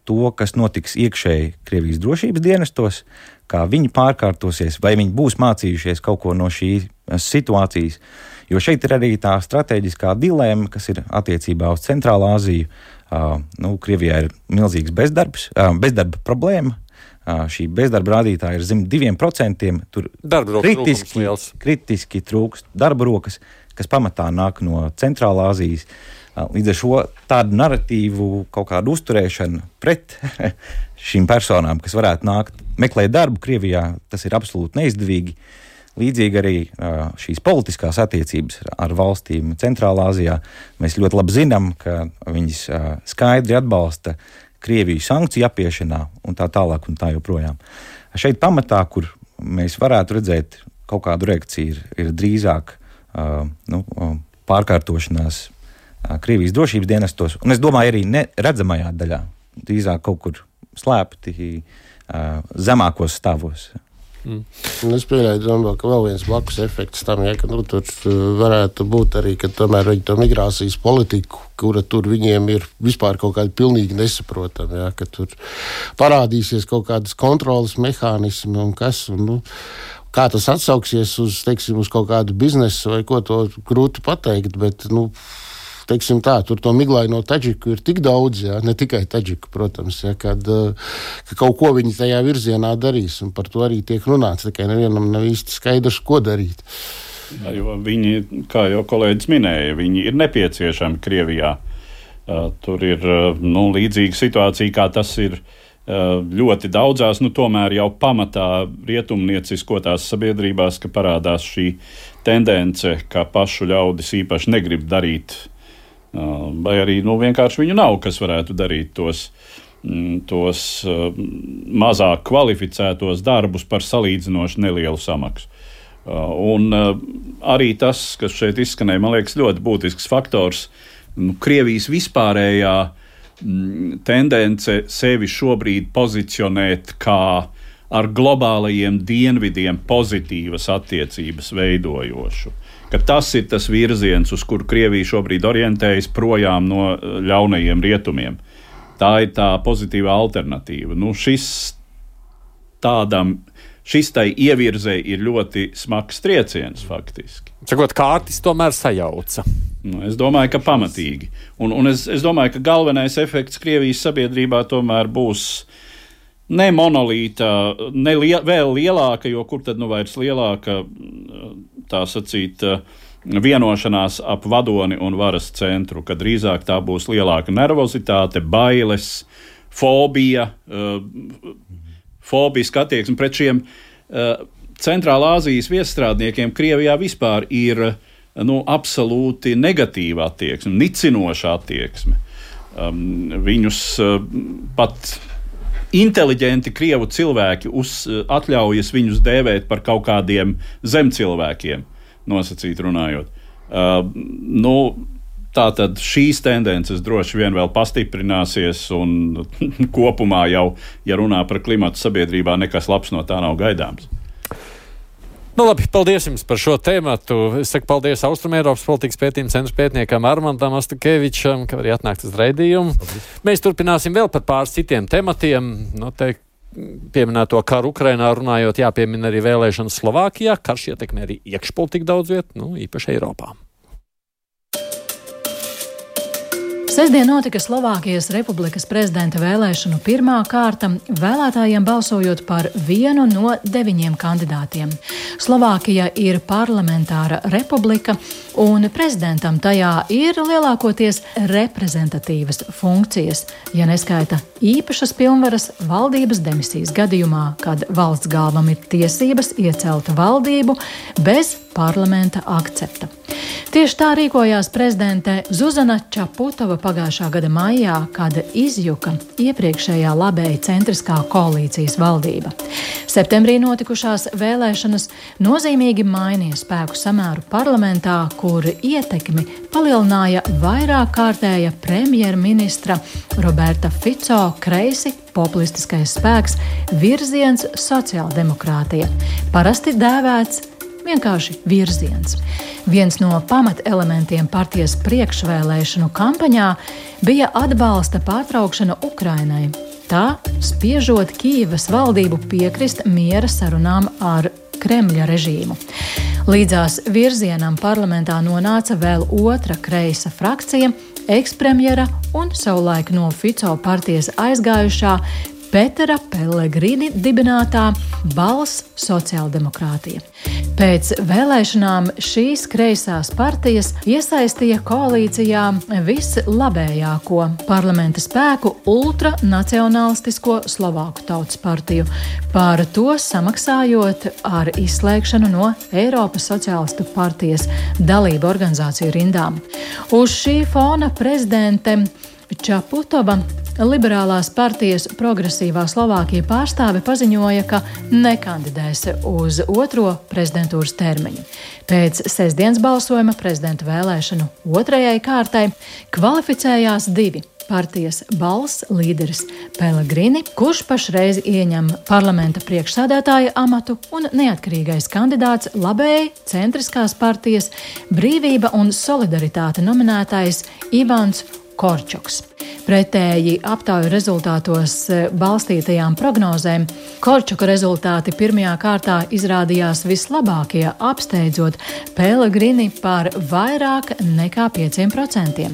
to, kas notiks iekšēji Krievijas drošības dienestos, kā viņi pārkārtosies, vai viņi būs mācījušies kaut ko no šīs situācijas. Jo šeit ir arī tā strateģiskā dilēma, kas ir attiecībā uz Centrālā Āziju. Krievijā ir milzīgs bezdarba problēma. Šī bezdarba rādītāja ir zem 2%. Tur kritiski trūkst darba rokas, kas pamatā nāk no Centrālā Āzijas. Līdz ar šo tādu narratīvu kaut kādu uzturēšanu pret šīm personām, kas varētu meklēt darbu Krievijā, tas ir absolūti neizdevīgi. Līdzīgi arī šīs politiskās attiecības ar valstīm Centrālā Āzijā. Mēs ļoti labi zinām, ka viņas skaidri atbalsta Krieviju sankciju apiešanā un tā tālāk un tā joprojām. Šeit pamatā, kur mēs varētu redzēt kaut kādu reakciju, ir drīzāk pārkārtošanās Krievijas drošības dienestos, un es domāju arī neredzamajā daļā, drīzāk kaut kur slēpti zemākos stāvos. Es pieļauju, ka vēl viens blakus efekts tam, ka tur varētu būt arī, ka tomēr viņi to migrācijas politiku, kura tur viņiem ir vispār kaut kāda pilnīgi nesaprotama, ka tur parādīsies kaut kādas kontrolas mehānismi un kas, kā tas atsauksies uz kaut kādu biznesu vai ko, to grūti pateikt, bet, teiksim tā, tur to miglaino taģiku ir tik daudz, ne tikai taģiku, protams, ka kaut ko viņi tajā virzienā darīs, un par to arī tiek runāts, tikai nevienam nav īsti skaidrs, ko darīt. Jo viņi, kā jau kolēģis minēja, viņi ir nepieciešami Krievijā. Tur ir līdzīga situācija, kā tas ir ļoti daudzās, tomēr jau pamatā rietumnieciskotās sabiedrībās, ka parādās šī tendence, ka pašu ļaudis īpaši negrib darīt, vai arī vienkārši viņu nav, kas varētu darīt tos mazāk kvalificētos darbus par salīdzinoši nelielu samaksu. Un arī tas, kas šeit izskanēja, man liekas, ļoti būtisks faktors, Krievijas vispārējā tendence sevi šobrīd pozicionēt kā ar globālajiem dienvidiem pozitīvas attiecības veidojošu. Ka tas ir tas virziens, uz kuru Krievija šobrīd orientējas projām no ļaunajiem rietumiem. Tā ir tā pozitīvā alternatīva. Šis tai ievirzei ir ļoti smags trieciens faktiski. Sakot, kārtis tomēr sajauca. Es domāju, ka pamatīgi. Un es domāju, ka galvenais efekts Krievijas sabiedrībā tomēr būs ne monolīta, vēl lielāka, jo kur tad vairs lielāka, tā sacīt, vienošanās ap vadoni un varas centru, kad drīzāk tā būs lielāka nervozitāte, bailes, fobija, fobiska attieksme pret šiem Centrālā Āzijas viesstrādniekiem. Krievijā vispār ir absolūti negatīva attieksme, nicinoša attieksme. Viņus pat inteliģenti krievu cilvēki atļaujas viņus dēvēt par kaut kādiem zemcilvēkiem, nosacīt runājot. Tātad šīs tendences droši vien vēl pastiprināsies, un kopumā jau, ja runā par klimatu sabiedrībā, nekas labs no tā nav gaidāms. Labi, paldies jums par šo tēmatu. Es saku paldies Austrumēropas politikas pētījuma centra pētniekam Armandam Astakevičam, ka arī atnākt uz raidījumu. Mēs turpināsim vēl par pāris citiem tematiem. Pieminēto karu Ukrainā runājot, jāpiemina arī vēlēšanas Slovākijā. Karš ietekmē arī iekšpolitiku daudz vietu, īpaši Eiropā. Sestdien notika Slovākijas Republikas prezidenta vēlēšanu pirmā kārta, vēlētājiem balsojot par vienu no 9 kandidātiem. Slovākija ir parlamentāra republika, un prezidentam tajā ir lielākoties reprezentatīvas funkcijas, ja neskaita īpašas pilnvaras valdības demisijas gadījumā, kad valsts galvam ir tiesības iecelt valdību bez parlamenta akcepta. Tieši tā rīkojās prezidente Zuzana Čaputova pagājušā gada maijā, kad izjuka iepriekšējā labēja centriskā koalīcijas valdība. Septembrī notikušās vēlēšanas nozīmīgi mainīja spēku samēru parlamentā, kur ietekmi palielināja vairāk kārtēja premjerministra Roberta Fico kreisi populistiskais spēks Virziens sociāldemokrātija, parasti dēvēts vienkārši Virziens. Viens no pamatelementiem partijas priekšvēlēšanu kampaņā bija atbalsta pārtraukšana Ukrainai. Tā spiežot Kijevas valdību piekrist miera sarunām ar Kremļa režīmu. Līdzās Virzienam parlamentā nonāca vēl otra kreisa frakcija, ekspremjera un savulaik no Fico partijas aizgājušā Petera Pellegrini dibinātā Balss sociāldemokrātija. Pēc vēlēšanām šīs kreisās partijas iesaistīja koalīcijā vislabējāko parlamenta spēku ultranacionālistisko Slovāku tautas partiju, par to samaksājot ar izslēgšanu no Eiropas sociālistu partijas dalību organizāciju rindām. Uz šī fona prezidente Čaputova Liberālās partijas Progresīvā Slovākija pārstāve paziņoja, ka nekandidēs uz otro prezidentūras termiņu. Pēc sestdienas balsojuma prezidenta vēlēšanu otrajai kārtai kvalificējās divi partijas Balss līderis Pellegrini, kurš pašreiz ieņem parlamenta priekšsēdētāja amatu, un neatkarīgais kandidāts labēji centriskās partijas Brīvība un solidaritāte nominētais Ivans Korčoks. Pretēji aptauju rezultātos balstītajām prognozēm, Korčoka rezultāti pirmajā kārtā izrādījās vislabākie, apsteidzot Pellegrini par vairāk nekā 5%.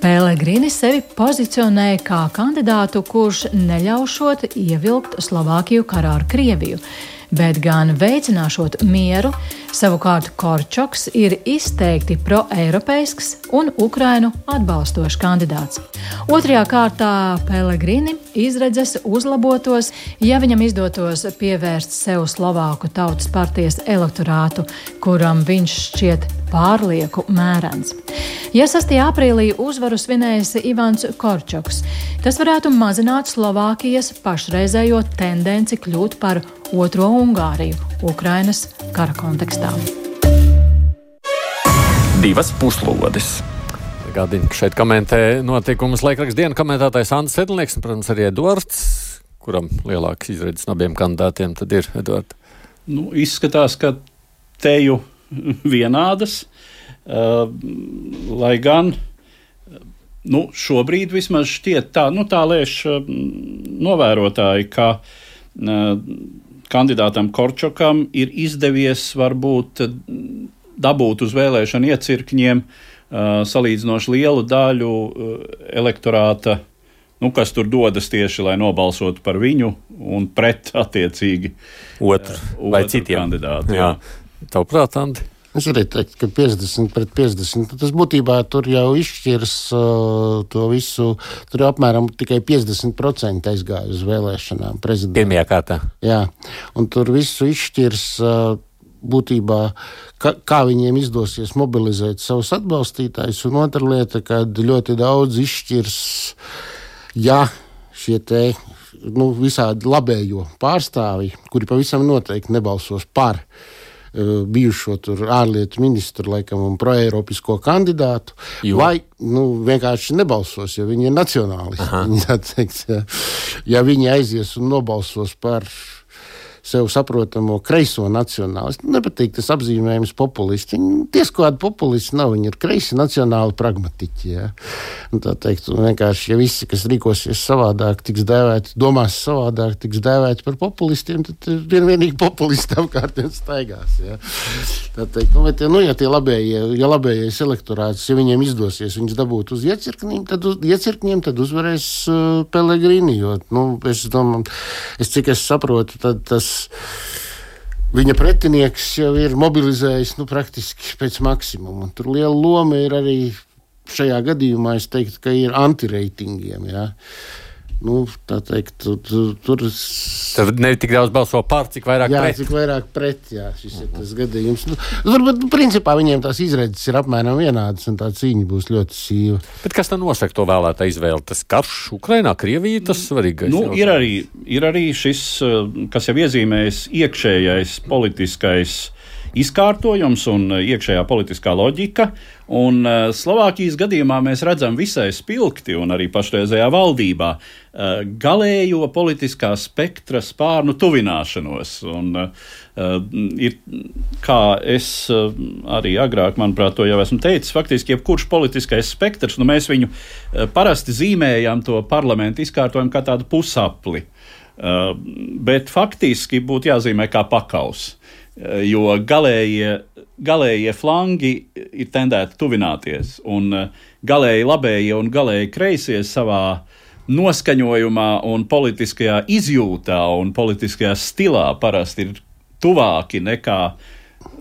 Pellegrini sevi pozicionēja kā kandidātu, kurš neļaušot ievilkt Slovākiju karā ar Krieviju, bet gan veicināšot mieru. Savukārt Korčoks ir izteikti proeiropeisks un Ukrainu atbalstošs kandidāts. Otrajā kārtā Pellegrini izredzes uzlabotos, ja viņam izdotos pievērst sev Slovāku tautas partijas elektorātu, kuram viņš šķiet pārlieku mērens. Ja 6. aprīlī uzvaru svinējis Ivans Korčoks, tas varētu mazināt Slovākijas pašreizējo tendenci kļūt par otro Ungāriju Ukrainas kara kontekstā. Divas puslodes. Gādinu, ka šeit komentē notikumus laikraksta dienu komentētājs Andris Sedlnieks un, protams, arī Eduards, kuram lielāks izredzes no abiem kandidātiem tad ir, Eduard. Izskatās, ka teju vienādas, lai gan šobrīd vismaz šķiet tā lēš novērotāji, ka kandidātam Korčokam ir izdevies varbūt dabūt uz vēlēšanu iecirkņiem salīdzinoši lielu daļu elektorāta, kas tur dodas tieši, lai nobalsotu par viņu un pret attiecīgi otru vai citiem kandidātu. Jā. Tavuprāt, Andi? Es arī teiktu, ka 50 pret 50. Tas būtībā tur jau izšķirs to visu. Tur jau apmēram tikai 50% aizgāja uz vēlēšanām prezidenta. Pirmajā kārtā. Jā, un tur visu izšķirs būtībā, kā viņiem izdosies mobilizēt savus atbalstītājus. Un otra lieta, kad ļoti daudz izšķirs, ja šie te visādi labējo pārstāvji, kuri pavisam noteikti nebalsos par bijušo tur ārlietu ministru, laikam, un proeiropisko kandidātu, vai vienkārši nebalsos, jo viņi ir nacionālisti. Ja viņi aizies un nobalsos par sev saprotamo kreiso nacionālistu. Nepatīk tas apzīmējums populisti. Viņi ties kādi populisti nav, viņi ir kreisi nacionāli pragmatiķi. Ja? Un tā teikt, vienkārši, ja visi, kas rīkosies savādāk, tiks dēvēti, domās savādāk, tiks dēvēti par populistiem, tad vienīgi populisti apkārtiem staigās. Ja? Tā teikt, ja tie labējais elektorāts, ja viņiem izdosies viņus dabūt uz iecirkņiem, tad uzvarēs Pellegrini, jo, es domāju, cik es saprotu, tad tas viņa pretinieks jau ir mobilizējis praktiski pēc maksimuma. Tur liela loma ir arī šajā gadījumā, es teiktu, ka ir antireitingiem. Ja? Tā teikt, tur ne tik daudz balso par, cik vairāk pret. Cik vairāk pret, šis ir tas gadījums. Turbūt, principā, viņiem tās izredzes ir apmēram vienādas, un tā cīņa būs ļoti sīva. Bet kas tad nosaka to vēlētā izvēli? Tas karš Ukrainā, Krievija, tas svarīgais? Ir arī šis, kas jau iezīmējas iekšējais politiskais izkārtojums un iekšējā politiskā loģika, un Slovākijas gadījumā mēs redzam visai spilgti un arī pašreizējā valdībā galējo politiskā spektra spārnu tuvināšanos. Un ir, kā es arī agrāk, manuprāt, to jau esmu teicis, faktiski jebkurš politiskais spektrs, mēs viņu parasti zīmējam to parlamentu izkārtojumu kā tādu pusapli, bet faktiski būtu jāzīmē kā pakaus. Jo galējie flangi ir tendēti tuvināties, un galēji labējie un galēji kreisie savā noskaņojumā un politiskajā izjūtā un politiskajā stilā parasti ir tuvāki nekā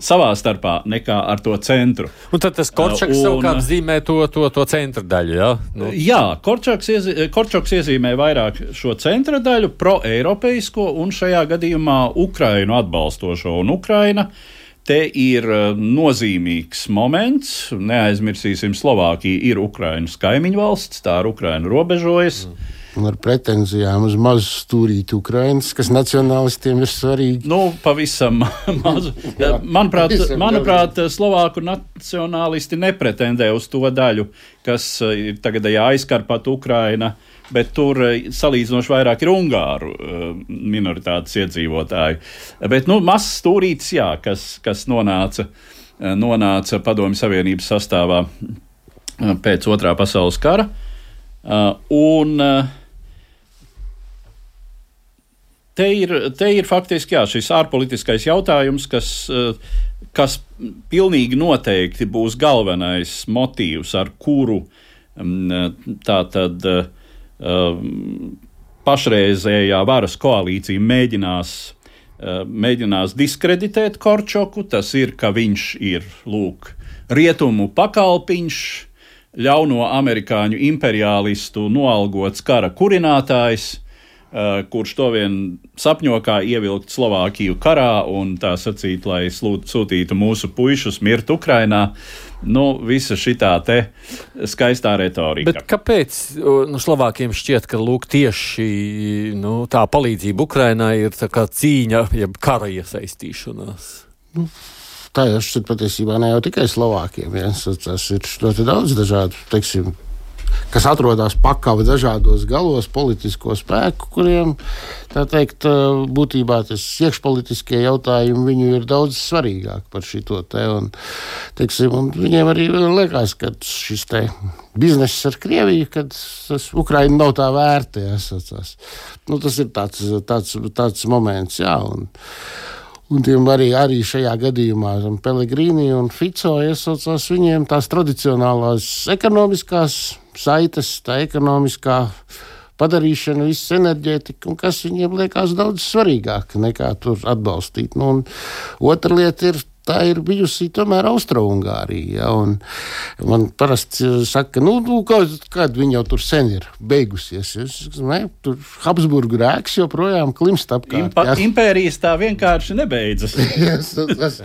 savā starpā nekā ar to centru. Un tad tas Korčoks savukārt zīmē to centra daļu, jā? Jā, Korčoks iezīmē vairāk šo centra daļu, pro-eiropeisko un šajā gadījumā Ukrainu atbalstošo. Un Ukraina te ir nozīmīgs moments. Neaizmirsīsim, Slovākija ir Ukrainas kaimiņu valsts, tā ar Ukrainu robežojas. Un ar pretenzijām uz mazu stūrīti Ukrainas, kas nacionālistiem ir svarīgi. Pavisam mazu. Manuprāt, Slovāku nacionālisti nepretendē uz to daļu, kas ir tagadējā aizkarpata Ukraina, bet tur salīdzinoši vairāk ir ungāru minoritātes iedzīvotāji. Bet, mazs stūrītis, jā, kas nonāca Padomju Savienības sastāvā pēc Otrā pasaules kara. Te ir faktiski šis ārpolitiskais jautājums, kas pilnīgi noteikti būs galvenais motīvs, ar kuru tātad pašreizējā varas koalīcija mēģinās diskreditēt Korčoku. Tas ir, ka viņš ir, rietumu pakalpiņš, ļauno amerikāņu imperialistu noalgots kara kurinātājs, kurš to vien sapņo kā ievilkt Slovākiju karā un tā sacīt, lai sūtītu mūsu puišus mirt Ukrainā. Visa šitā te skaistā retorika. Bet kāpēc Slovākiem šķiet, ka tieši tā palīdzība Ukrainai ir tā kā cīņa, jeb kara iesaistīšanās? Tā jau šķiet patiesībā ne jau tikai Slovākiem. Tas ir ļoti daudz dažādu, teiksim, kas atrodas pakava dažādos galos politisko spēku, kuriem, tā teikt, būtībā tas iekšpolitiskie jautājumi viņu ir daudz svarīgāk par šito te. Un, teiksim, un viņiem arī liekas, ka šis te bizness ar Krieviju, kad tas Ukraina nav tā vērta. Tas ir tāds moments, jā. Un tiem arī šajā gadījumā Pellegrini un Fico iesaucās viņiem tās tradicionālās ekonomiskās saites, tā ekonomiskā padarīšana, viss enerģētika, un kas viņiem liekas daudz svarīgāk nekā tur atbalstīt. Un otra lieta ir, tā ir bijusi tomēr Austro-Ungārija. Un man parasti saka, kad viņi jau tur sen ir beigusies. Tur Habsburgu rēks joprojām klimst apkārt. Impērijas tā vienkārši nebeidzas.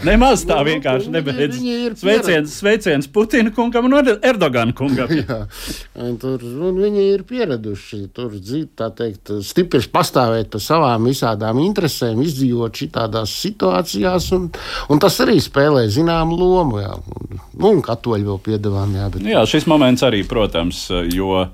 Nemaz tā vienkārši nebeidzas. Sveiciens Putina kungam un Erdogana kungam. Un viņi ir pieraduši tur, tā teikt, stipri pastāvēt par savām visādām interesēm, izdzīvot šitādās situācijās, un tas arī spēlē zināmu lomu, jā. Un katoļi vēl piedevām, jā. Bet... Jā, šis moments arī, protams, jo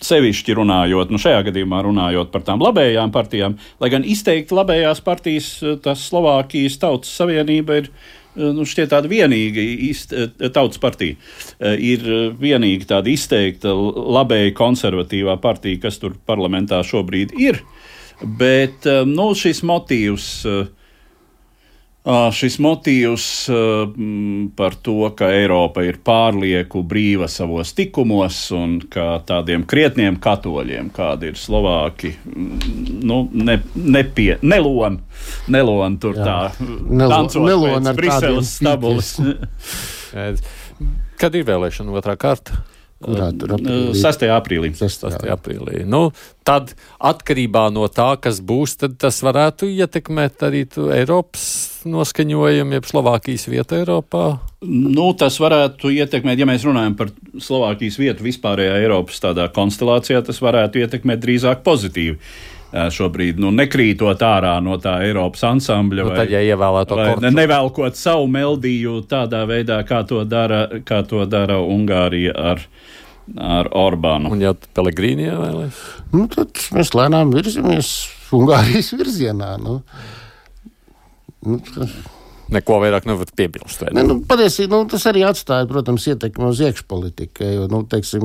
sevišķi runājot, šajā gadījumā runājot par tām labējām partijām, lai gan izteikti labējās partijas, tas Slovākijas Tautas Savienība ir šķiet tāda vienīga tautas partija. Ir vienīgi tāda izteikta labēja konservatīvā partija, kas tur parlamentā šobrīd ir, bet šis motīvs par to, ka Eiropa ir pārlieku brīva savos tikumos un ka tādiem krietniem katoļiem, kādi ir Slovāki, nelon tur tā tancot pēc Briseles stabulas. Kad ir vēlēšana otrā kārta? Kurā tur aprīlī? 6. aprīlī. 6. aprīlī. Nu, tad atkarībā no tā, kas būs, tad tas varētu ietekmēt arī Eiropas noskaņojumu, jeb Slovākijas vietu Eiropā? Nu, tas varētu ietekmēt, ja mēs runājam par Slovākijas vietu vispārējā Eiropas tādā konstelācijā, tas varētu ietekmēt drīzāk pozitīvi. Šobrīd nekrītot ārā no tā Eiropas ansambļa tad, ja ievēlēto kortu. Nevelkot savu meldiju tādā veidā, kā to dara Ungārija ar Orbānu. Un ja Pellegrini ievēlēs? Tad mēs lēnām virzamies Ungārijas virzienā. Neko vairāk nevar piebilst. Patiesībā tas arī atstāja, protams, ietekmi uz iekšpolitiku.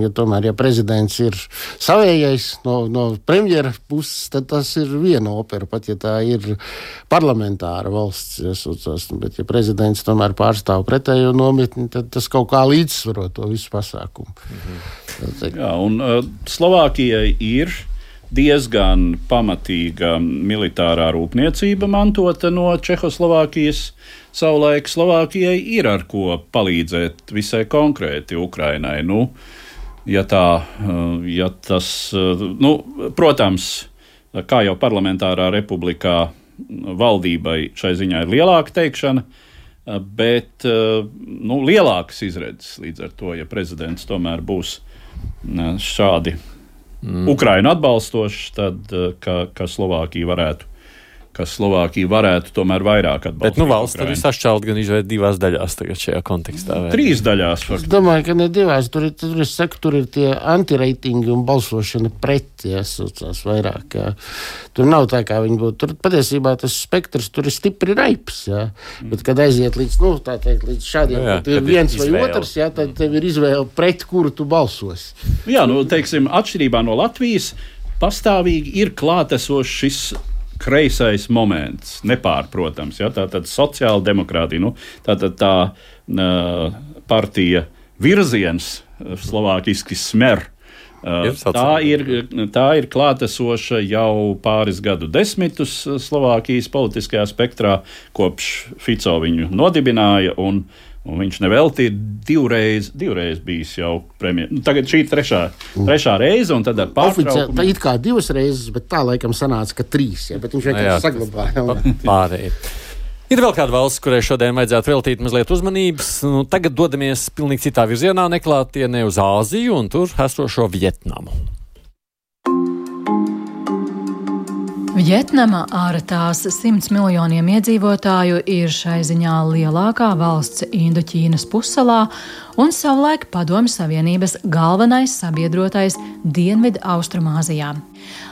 Ja tomēr prezidents ir savējais no premjera puses, tad tas ir viena opera, pat ja tā ir parlamentāra valsts. Bet ja prezidents tomēr pārstāv pretējo nometni, tad tas kaut kā līdzsvaro to visu pasākumu. Jā, un Slovākijai ir diezgan pamatīga militārā rūpniecība mantota no Čehoslovākijas. Savulaik Slovākijai ir ar ko palīdzēt visai konkrēti Ukrainai. Protams, kā jau parlamentārā republikā valdībai šai ziņā ir lielāka teikšana, bet lielākas izredzes līdz ar to, ja prezidents tomēr būs šādi Ukrainu atbalstošs, tad ka Slovākija varētu tomēr vairāk atbalstīt. Bet valsts tur ir sašķelt gan izvērt 2 daļās tagad šajā kontekstā. 3 daļās. Es domāju, ka ne 2. Tur ir tie antireitingi un balsošana pret, jāsaucās vairāk. Jā. Tur nav tā, kā viņi būtu. Tur patiesībā tas spektrs tur ir stipri raips. Jā. Bet, kad aiziet līdz šādiem, kad ir viens vai otrs, tad tev ir izvēle pret, kuru tu balsos. Jā, atšķirībā no Latvijas pastāvīgi ir klātesošs šis kreisais moments, nepārprotams. Ja? Tātad sociāla demokrātija, tā partija virziens, slovākiski Smer, tā ir klātesoša jau pāris gadu desmitus Slovākijas politiskajā spektrā, kopš Fico viņu nodibināja, un viņš nevelti ir divreiz bijis jau premjeras. Tagad šī trešā reize, un tad ar pārtraukumu. Tā it kā 2 reizes, bet tā laikam sanāca, ka 3, bet viņš vienkārši saglabāja. Pārējie. Ir vēl kāda valsts, kurai šodien vajadzētu veltīt mazliet uzmanības. Tagad dodamies pilnīgi citā virzienā, neklātienē uz Āziju un tur esošo Vietnamu. Vietnama ar tās 100 miljoniem iedzīvotāju ir šai ziņā lielākā valsts Indoķīnas pussalā un savulaik Padomju Savienības galvenais sabiedrotais Dienvidu Austrumāzijā.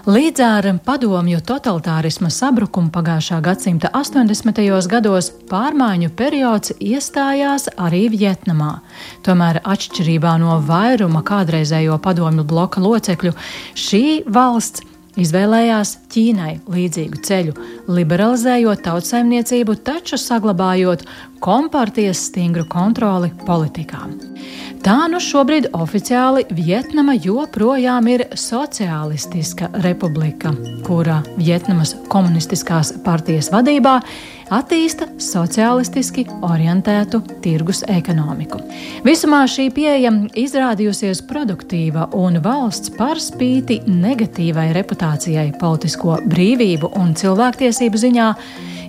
Līdz ar padomju totalitārisma sabrukumu pagājušā gadsimta 80. gados pārmaiņu periods iestājās arī Vietnamā. Tomēr atšķirībā no vairuma kādreizējo padomju bloka locekļu, šī valsts izvēlējās Ķīnai līdzīgu ceļu, liberalizējot tautsaimniecību, taču saglabājot kompartijas stingru kontroli politikā. Tā šobrīd oficiāli Vietnama joprojām ir sociālistiska republika, kura Vietnamas komunistiskās partijas vadībā attīsta sociālistiski orientētu tirgus ekonomiku. Visumā šī pieeja izrādījusies produktīva un valsts par spīti negatīvai reputācijai politisko brīvību un cilvēktiesību ziņā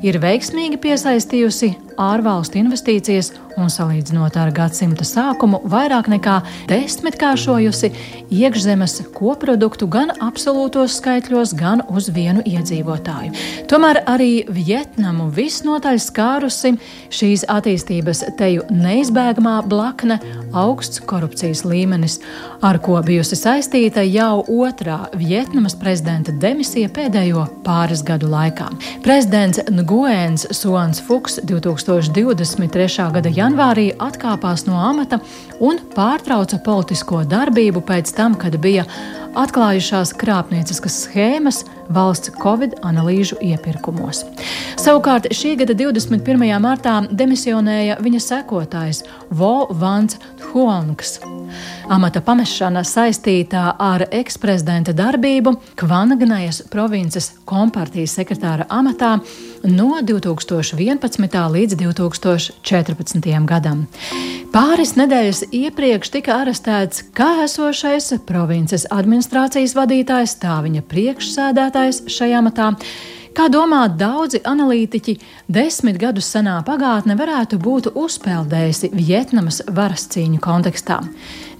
ir veiksmīgi piesaistījusi ārvalstu investīcijas un salīdzinot ar gadsimta sākumu vairāk nekā 10-kāršojusi iekšzemes koproduktu gan absolūtos skaitļos, gan uz vienu iedzīvotāju. Tomēr arī Vietnamu visnotaļ skārusi šīs attīstības teju neizbēgamā blakne augsts korupcijas līmenis, ar ko bijusi saistīta jau otrā Vietnamas prezidenta demisija pēdējo pāris gadu laikā. Prezidents Nguyen Xuan Phuc 2023. gada janvārī atkāpās no amata un pārtrauca politisko darbību pēc tam, kad bija atklājušās krāpnieciskas schēmas valsts Covid analīžu iepirkumos. Savukārt šī gada 21. martā demisionēja viņa sekotājs Vo Vans Huongs. Amata pamešana saistītā ar eksprezidenta darbību Kvangnajas provinces kompartijas sekretāra amatā no 2011. līdz 2014. gadam. Pāris nedēļas iepriekš tika arestēts kā esošais provinces administrācijas vadītājs, tā viņa priekšsēdētājs šajā amatā. Kā domā daudzi analītiķi, 10 gadus senā pagātne varētu būt uzpeldējusi Vjetnamas varas cīņu kontekstā.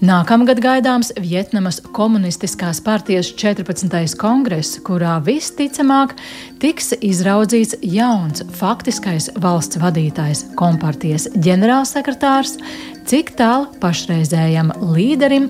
Nākamgad gaidāms Vjetnamas komunistiskās partijas 14. kongress, kurā visticamāk tiks izraudzīts jauns faktiskais valsts vadītājs, kompartijas ģenerālsekretārs, cik tālu pašreizējam līderim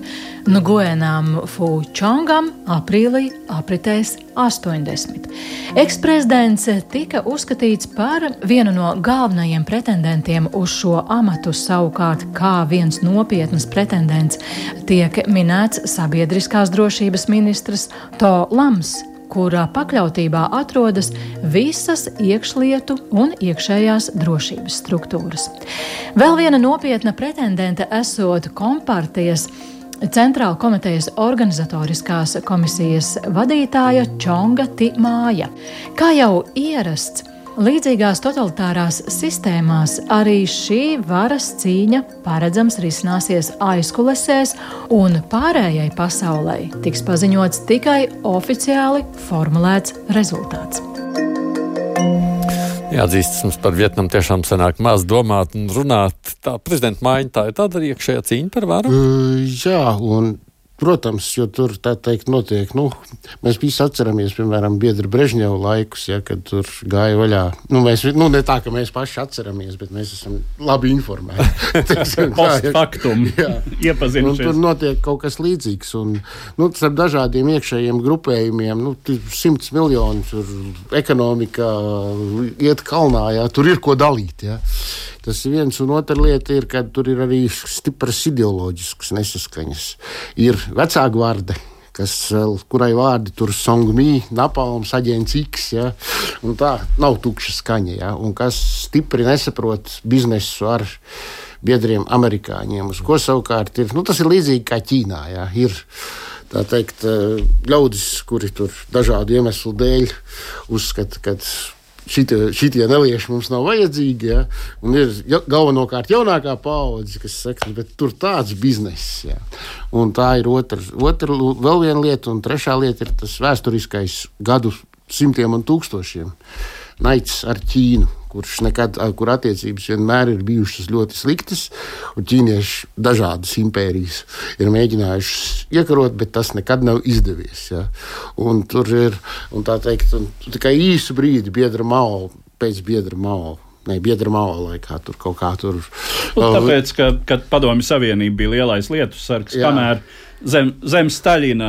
Nguyenam Phu Chongam aprīlī apritēs 80. Eksprezidents tika uzskatīts par vienu no galvenajiem pretendentiem uz šo amatu, savukārt kā viens nopietnas pretendents tiek minēts sabiedriskās drošības ministrs To Lams, kurā pakļautībā atrodas visas iekšlietu un iekšējās drošības struktūras. Vēl viena nopietna pretendente esot kompartijas Centrāla komitejas organizatoriskās komisijas vadītāja Čonga Ti Māja. Kā jau ierasts, līdzīgās totalitārās sistēmās arī šī varas cīņa paredzams risināsies aizkulesēs, un pārējai pasaulē tiks paziņots tikai oficiāli formulēts rezultāts. Jāatzīstas, mums par Vietnamu tiešām sanāk maz domāt un runāt. Tā prezidenta maiņa, tā ir tāda arī iekšējā cīņa par varu? Jā, un protams, jo tur tā teikt notiek, mēs visi atceramies, piemēram, biedra Brežņeva laikus, kad tur gāja vaļā. Mēs, ne tā, ka mēs paši atceramies, bet mēs esam labi informēti. Post faktum iepazinušies. Tur notiek kaut kas līdzīgs. Un, starp dažādiem iekšējiem grupējumiem, 100 miljoni tur ekonomikā iet kalnā, tur ir ko dalīt, Tas ir viens, un otra lieta ir, ka tur ir arī stipras ideoloģiskas nesaskaņas. Ir vecākvārde, kurai vārdi tur Songmi, Napalms, aģents X, un tā nav tukša skaņa, un kas stipri nesaprot biznesu ar biedriem amerikāņiem, uz ko savukārt ir, tas ir līdzīgi kā Ķīnā, ir tā teikt ļaudis, kuri tur dažādu iemeslu dēļ uzskata, ka šitie nelieši mums nav vajadzīgi, un ir galvenokārt jaunākā paudze, kas saka, bet tur tāds bizness, Un tā ir otra vēl viena lieta, un trešā lieta ir tas vēsturiskais gadu simtiem un tūkstošiem naids ar Ķīnu, kur attiecības vienmēr ir bijušas ļoti sliktas, un ķīnieši dažādas impērijas ir mēģinājušas iekarot, bet tas nekad nav izdevies. Un tur ir, un tā teikt, tikai īsu brīdi biedra Mao laikā tur kaut kā tur. Tāpēc, kad Padomju Savienība bija lielais lietus sargs, kamēr zem Staļina,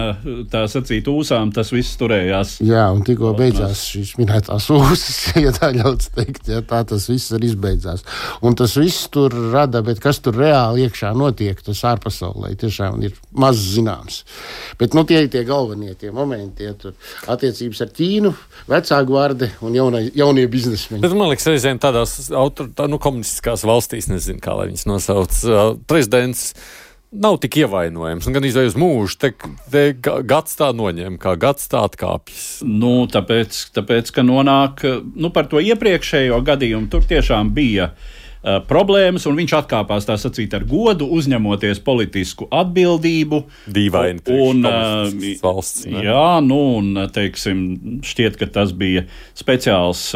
tā sacīt, ūsām, tas viss turējās. Jā, un tikko beidzās šīs minētās ūsas, ja tā ļauts teikt, tā tas viss arī izbeidzās. Un tas viss tur rada, bet kas tur reāli iekšā notiek, tas ārpasaulē tiešām ir maz zināms. Bet tie ir tie galvenie tie momenti, tur attiecības ar Ķīnu, vecākvārde un jaunie biznesmeņi. Bet man liekas, reizēm tādās komunistiskās valstīs, nezinu, kā lai viņas nosauc, prezidents nav tik ievainojams, un gan izvēj uz mūžu, te gads tā noņem, kā gads tā atkāpjas. Tāpēc, ka nonāk, par to iepriekšējo gadījumu, tur tiešām bija problēmas, un viņš atkāpās, tā sacīt, ar godu, uzņemoties politisku atbildību. Dīvaini priekš valsts. Ne? Jā, un, teiksim, šķiet, ka tas bija speciāls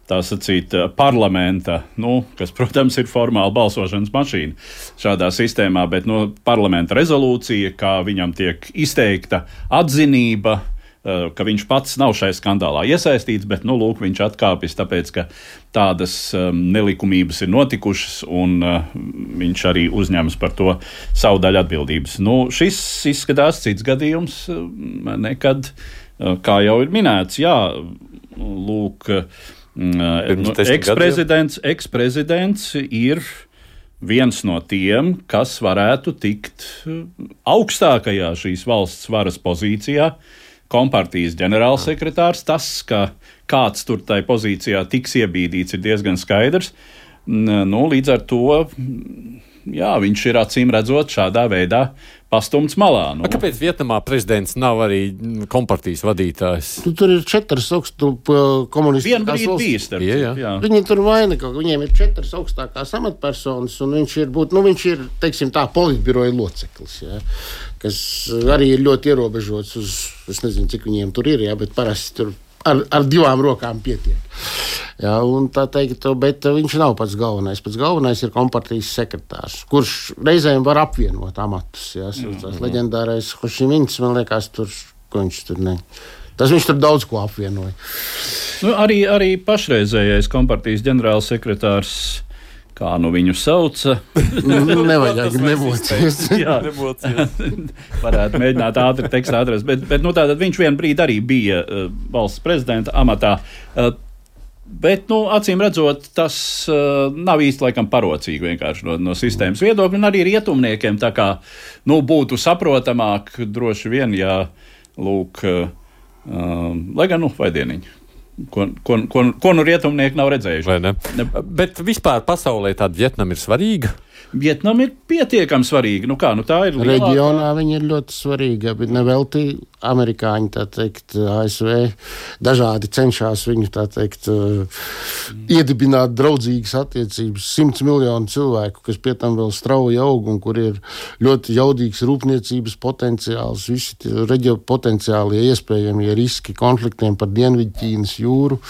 tā sacīt, parlamenta, kas, protams, ir formāli balsošanas mašīna šādā sistēmā, bet parlamenta rezolūcija, kā viņam tiek izteikta atzinība, ka viņš pats nav šai skandālā iesaistīts, bet, viņš atkāpjas, tāpēc, ka tādas nelikumības ir notikušas, un viņš arī uzņemas par to savu daļu atbildības. Šis izskatās cits gadījums nekad, kā jau ir minēts, eksprezidents ir viens no tiem, kas varētu tikt augstākajā šīs valsts varas pozīcijā, kompartijas ģenerālsekretārs. Tas, ka kāds tur tai pozīcijā tiks iebīdīts, ir diezgan skaidrs. Līdz ar to viņš ir acīm redzot šādā veidā pastumts malā. Kāpēc Vietnamā prezidents nav arī kompartijas vadītājs? Tur ir 4 augstu komunistiskās Vien brīdi bija starp citu, jā. Viņi tur vaina, ka viņiem ir 4 augstākās amatpersonas, un viņš ir, teiksim tā, politbiroja loceklis, jā, kas arī ir ļoti ierobežots uz, es nezinu, cik viņiem tur ir, jā, bet parasti tur ar 2 rokām pietiek. Jā, un tā teikt, bet viņš nav pats galvenais. Pats galvenais ir kompartijas sekretārs, kurš reizēm var apvienot amatus. Jā, tās leģendārais Hošimins, man liekas, ko viņš tur ne. Tas viņš tur daudz ko apvienoja. Arī pašreizējais kompartijas ģenerālsekretārs, kā viņu sauca. Nevajag nemocīties. Jā, varētu mēģināt ātri tekstā atrast. Bet tātad viņš vien brīdi arī bija valsts prezidenta amatā. Bet, acīm redzot, tas nav īsti laikam parocīgi vienkārši no sistēmas viedokļa. Un arī rietumniekiem tā kā būtu saprotamāk droši vien, ja lūk, lai gan vaidieniņi. Ko rietumnieki nav redzējuši. Bet vispār pasaulē tāda Vietnama ir svarīga? Vietnama ir pietiekami svarīga. Tā ir lielākā. Reģionā viņa ir ļoti svarīga, bet nevelti amerikāņi, tā teikt, ASV dažādi cenšas viņu, tā teikt, iedibināt draudzīgas attiecības. 100 miljonu cilvēku, kas pie tam vēl strauji aug un kur ir ļoti jaudīgs rūpniecības potenciāls, visi potenciālie iespējamie riski konfliktiem par Dienvidķīnas jūru.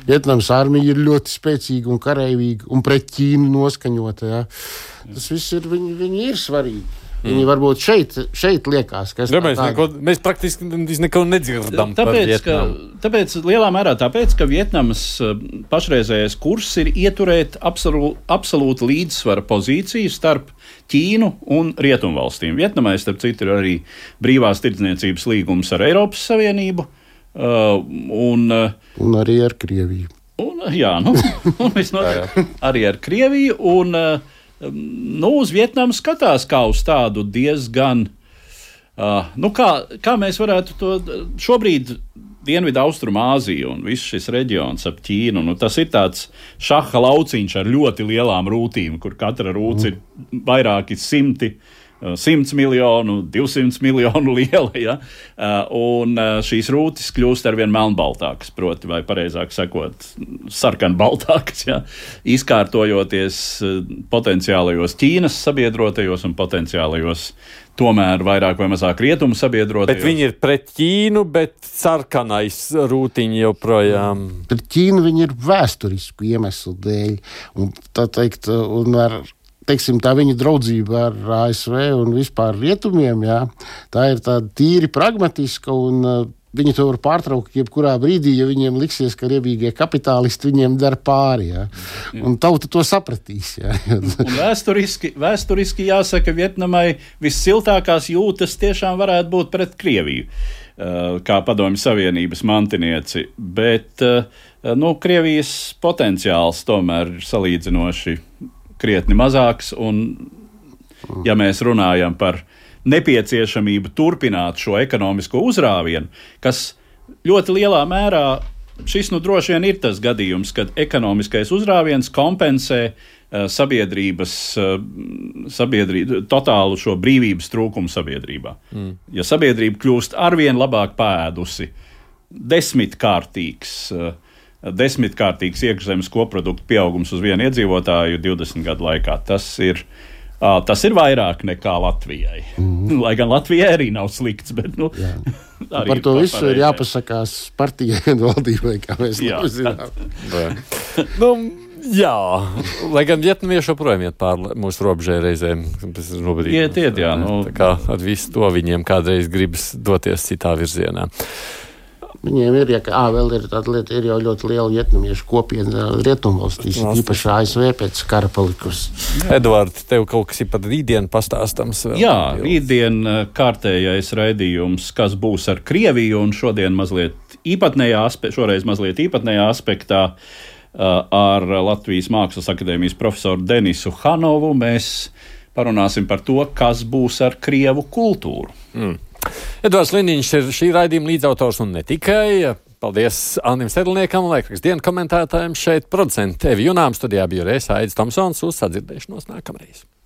Vietnamas armija ir ļoti spēcīga un kareivīga un pret Ķīnu noskaņota. Jā. Tas viss ir, viņi ir svarīgi. Viņi varbūt šeit liekas, ka mēs praktiski neko nedzirdam par Vietnamu. Tāpēc lielā mērā ka Vietnamas pašreizējais kurs ir ieturēt absolūti līdzsvara pozīciju starp Ķīnu un Rietumvalstīm. Vietnamai, starp citu, ir arī brīvās tirdzniecības līgums ar Eiropas Savienību. Un arī ar Krieviju. Arī ar Krieviju. Uz Vietnamu skatās kā uz tādu diezgan, kā mēs varētu to šobrīd Dienvidu Austrumāziju un viss šis reģions ap Ķīnu. Tas ir tāds šaha lauciņš ar ļoti lielām rūtīm, kur katra rūts ir vairāki 100 miljonu, 200 miljonu liela, ja? Un šīs rūtis kļūst arvien melnbaltākas, proti, vai pareizāk sakot, sarkanbaltākas, ja? Izkārtojoties potenciālajos Ķīnas sabiedrotajos un potenciālajos tomēr vairāk vai mazāk rietumu sabiedrotajos. Bet viņi ir pret Ķīnu, bet sarkanais rūtiņi joprojām. Pret Ķīnu viņi ir vēsturisku iemeslu dēļ, un tā teikt, un teiksim, tā viņa draudzība ar ASV un vispār rietumiem, jā, tā ir tāda tīri pragmatiska, un viņi to var pārtraukt jebkurā brīdī, ja viņiem liksies, ka riebīgie kapitālisti viņiem dara pāri, jā. Un tauta to sapratīs, jā. Un vēsturiski jāsaka, Vietnamai vissiltākās jūtas tiešām varētu būt pret Krieviju, kā Padomju Savienības mantinieci, bet Krievijas potenciāls tomēr ir salīdzinoši krietni mazāks, un ja mēs runājam par nepieciešamību turpināt šo ekonomisko uzrāvienu, kas ļoti lielā mērā, šis droši vien ir tas gadījums, kad ekonomiskais uzrāviens kompensē sabiedrības totālu šo brīvības trūkumu sabiedrībā. Ja sabiedrība kļūst arvien labāk pēdusi, desmitkārtīgs iekšzemes koprodukta pieaugums uz vienu iedzīvotāju 20 gadu laikā. Tas ir vairāk nekā Latvijai. Lai gan Latvijai arī nav slikts, bet arī par to visu ir jāpasakās partijai un valdībai, kā mēs zinām. Jā, lai gan vietnamieši joprojām iet pār mūsu robežai reizēm. Iet, jā. Tā kā ar visu to viņiem kādreiz gribas doties citā virzienā. Viņiem ir, vēl ir tāda lieta, ir jau ļoti liela vietnamiešu kopiena Rietumvalstīs, īpaši ASV pēc kara palikusi. Eduards, tev kaut kas ir par rītdienu pastāstams vēl? Jā, rītdien kārtējais raidījums, kas būs ar Krieviju, un šoreiz mazliet īpatnējā aspektā ar Latvijas Mākslas akadēmijas profesoru Denisu Hanovu. Mēs parunāsim par to, kas būs ar krievu kultūru. Edvards Liniņš ir šī raidījuma līdzautors un ne tikai. Paldies Annim Sedlniekam, laikraksta dienu komentētājiem šeit, producenti Evi Junām, studijā bija Aidis Tomsons, uz sadzirdēšanos nākamreiz.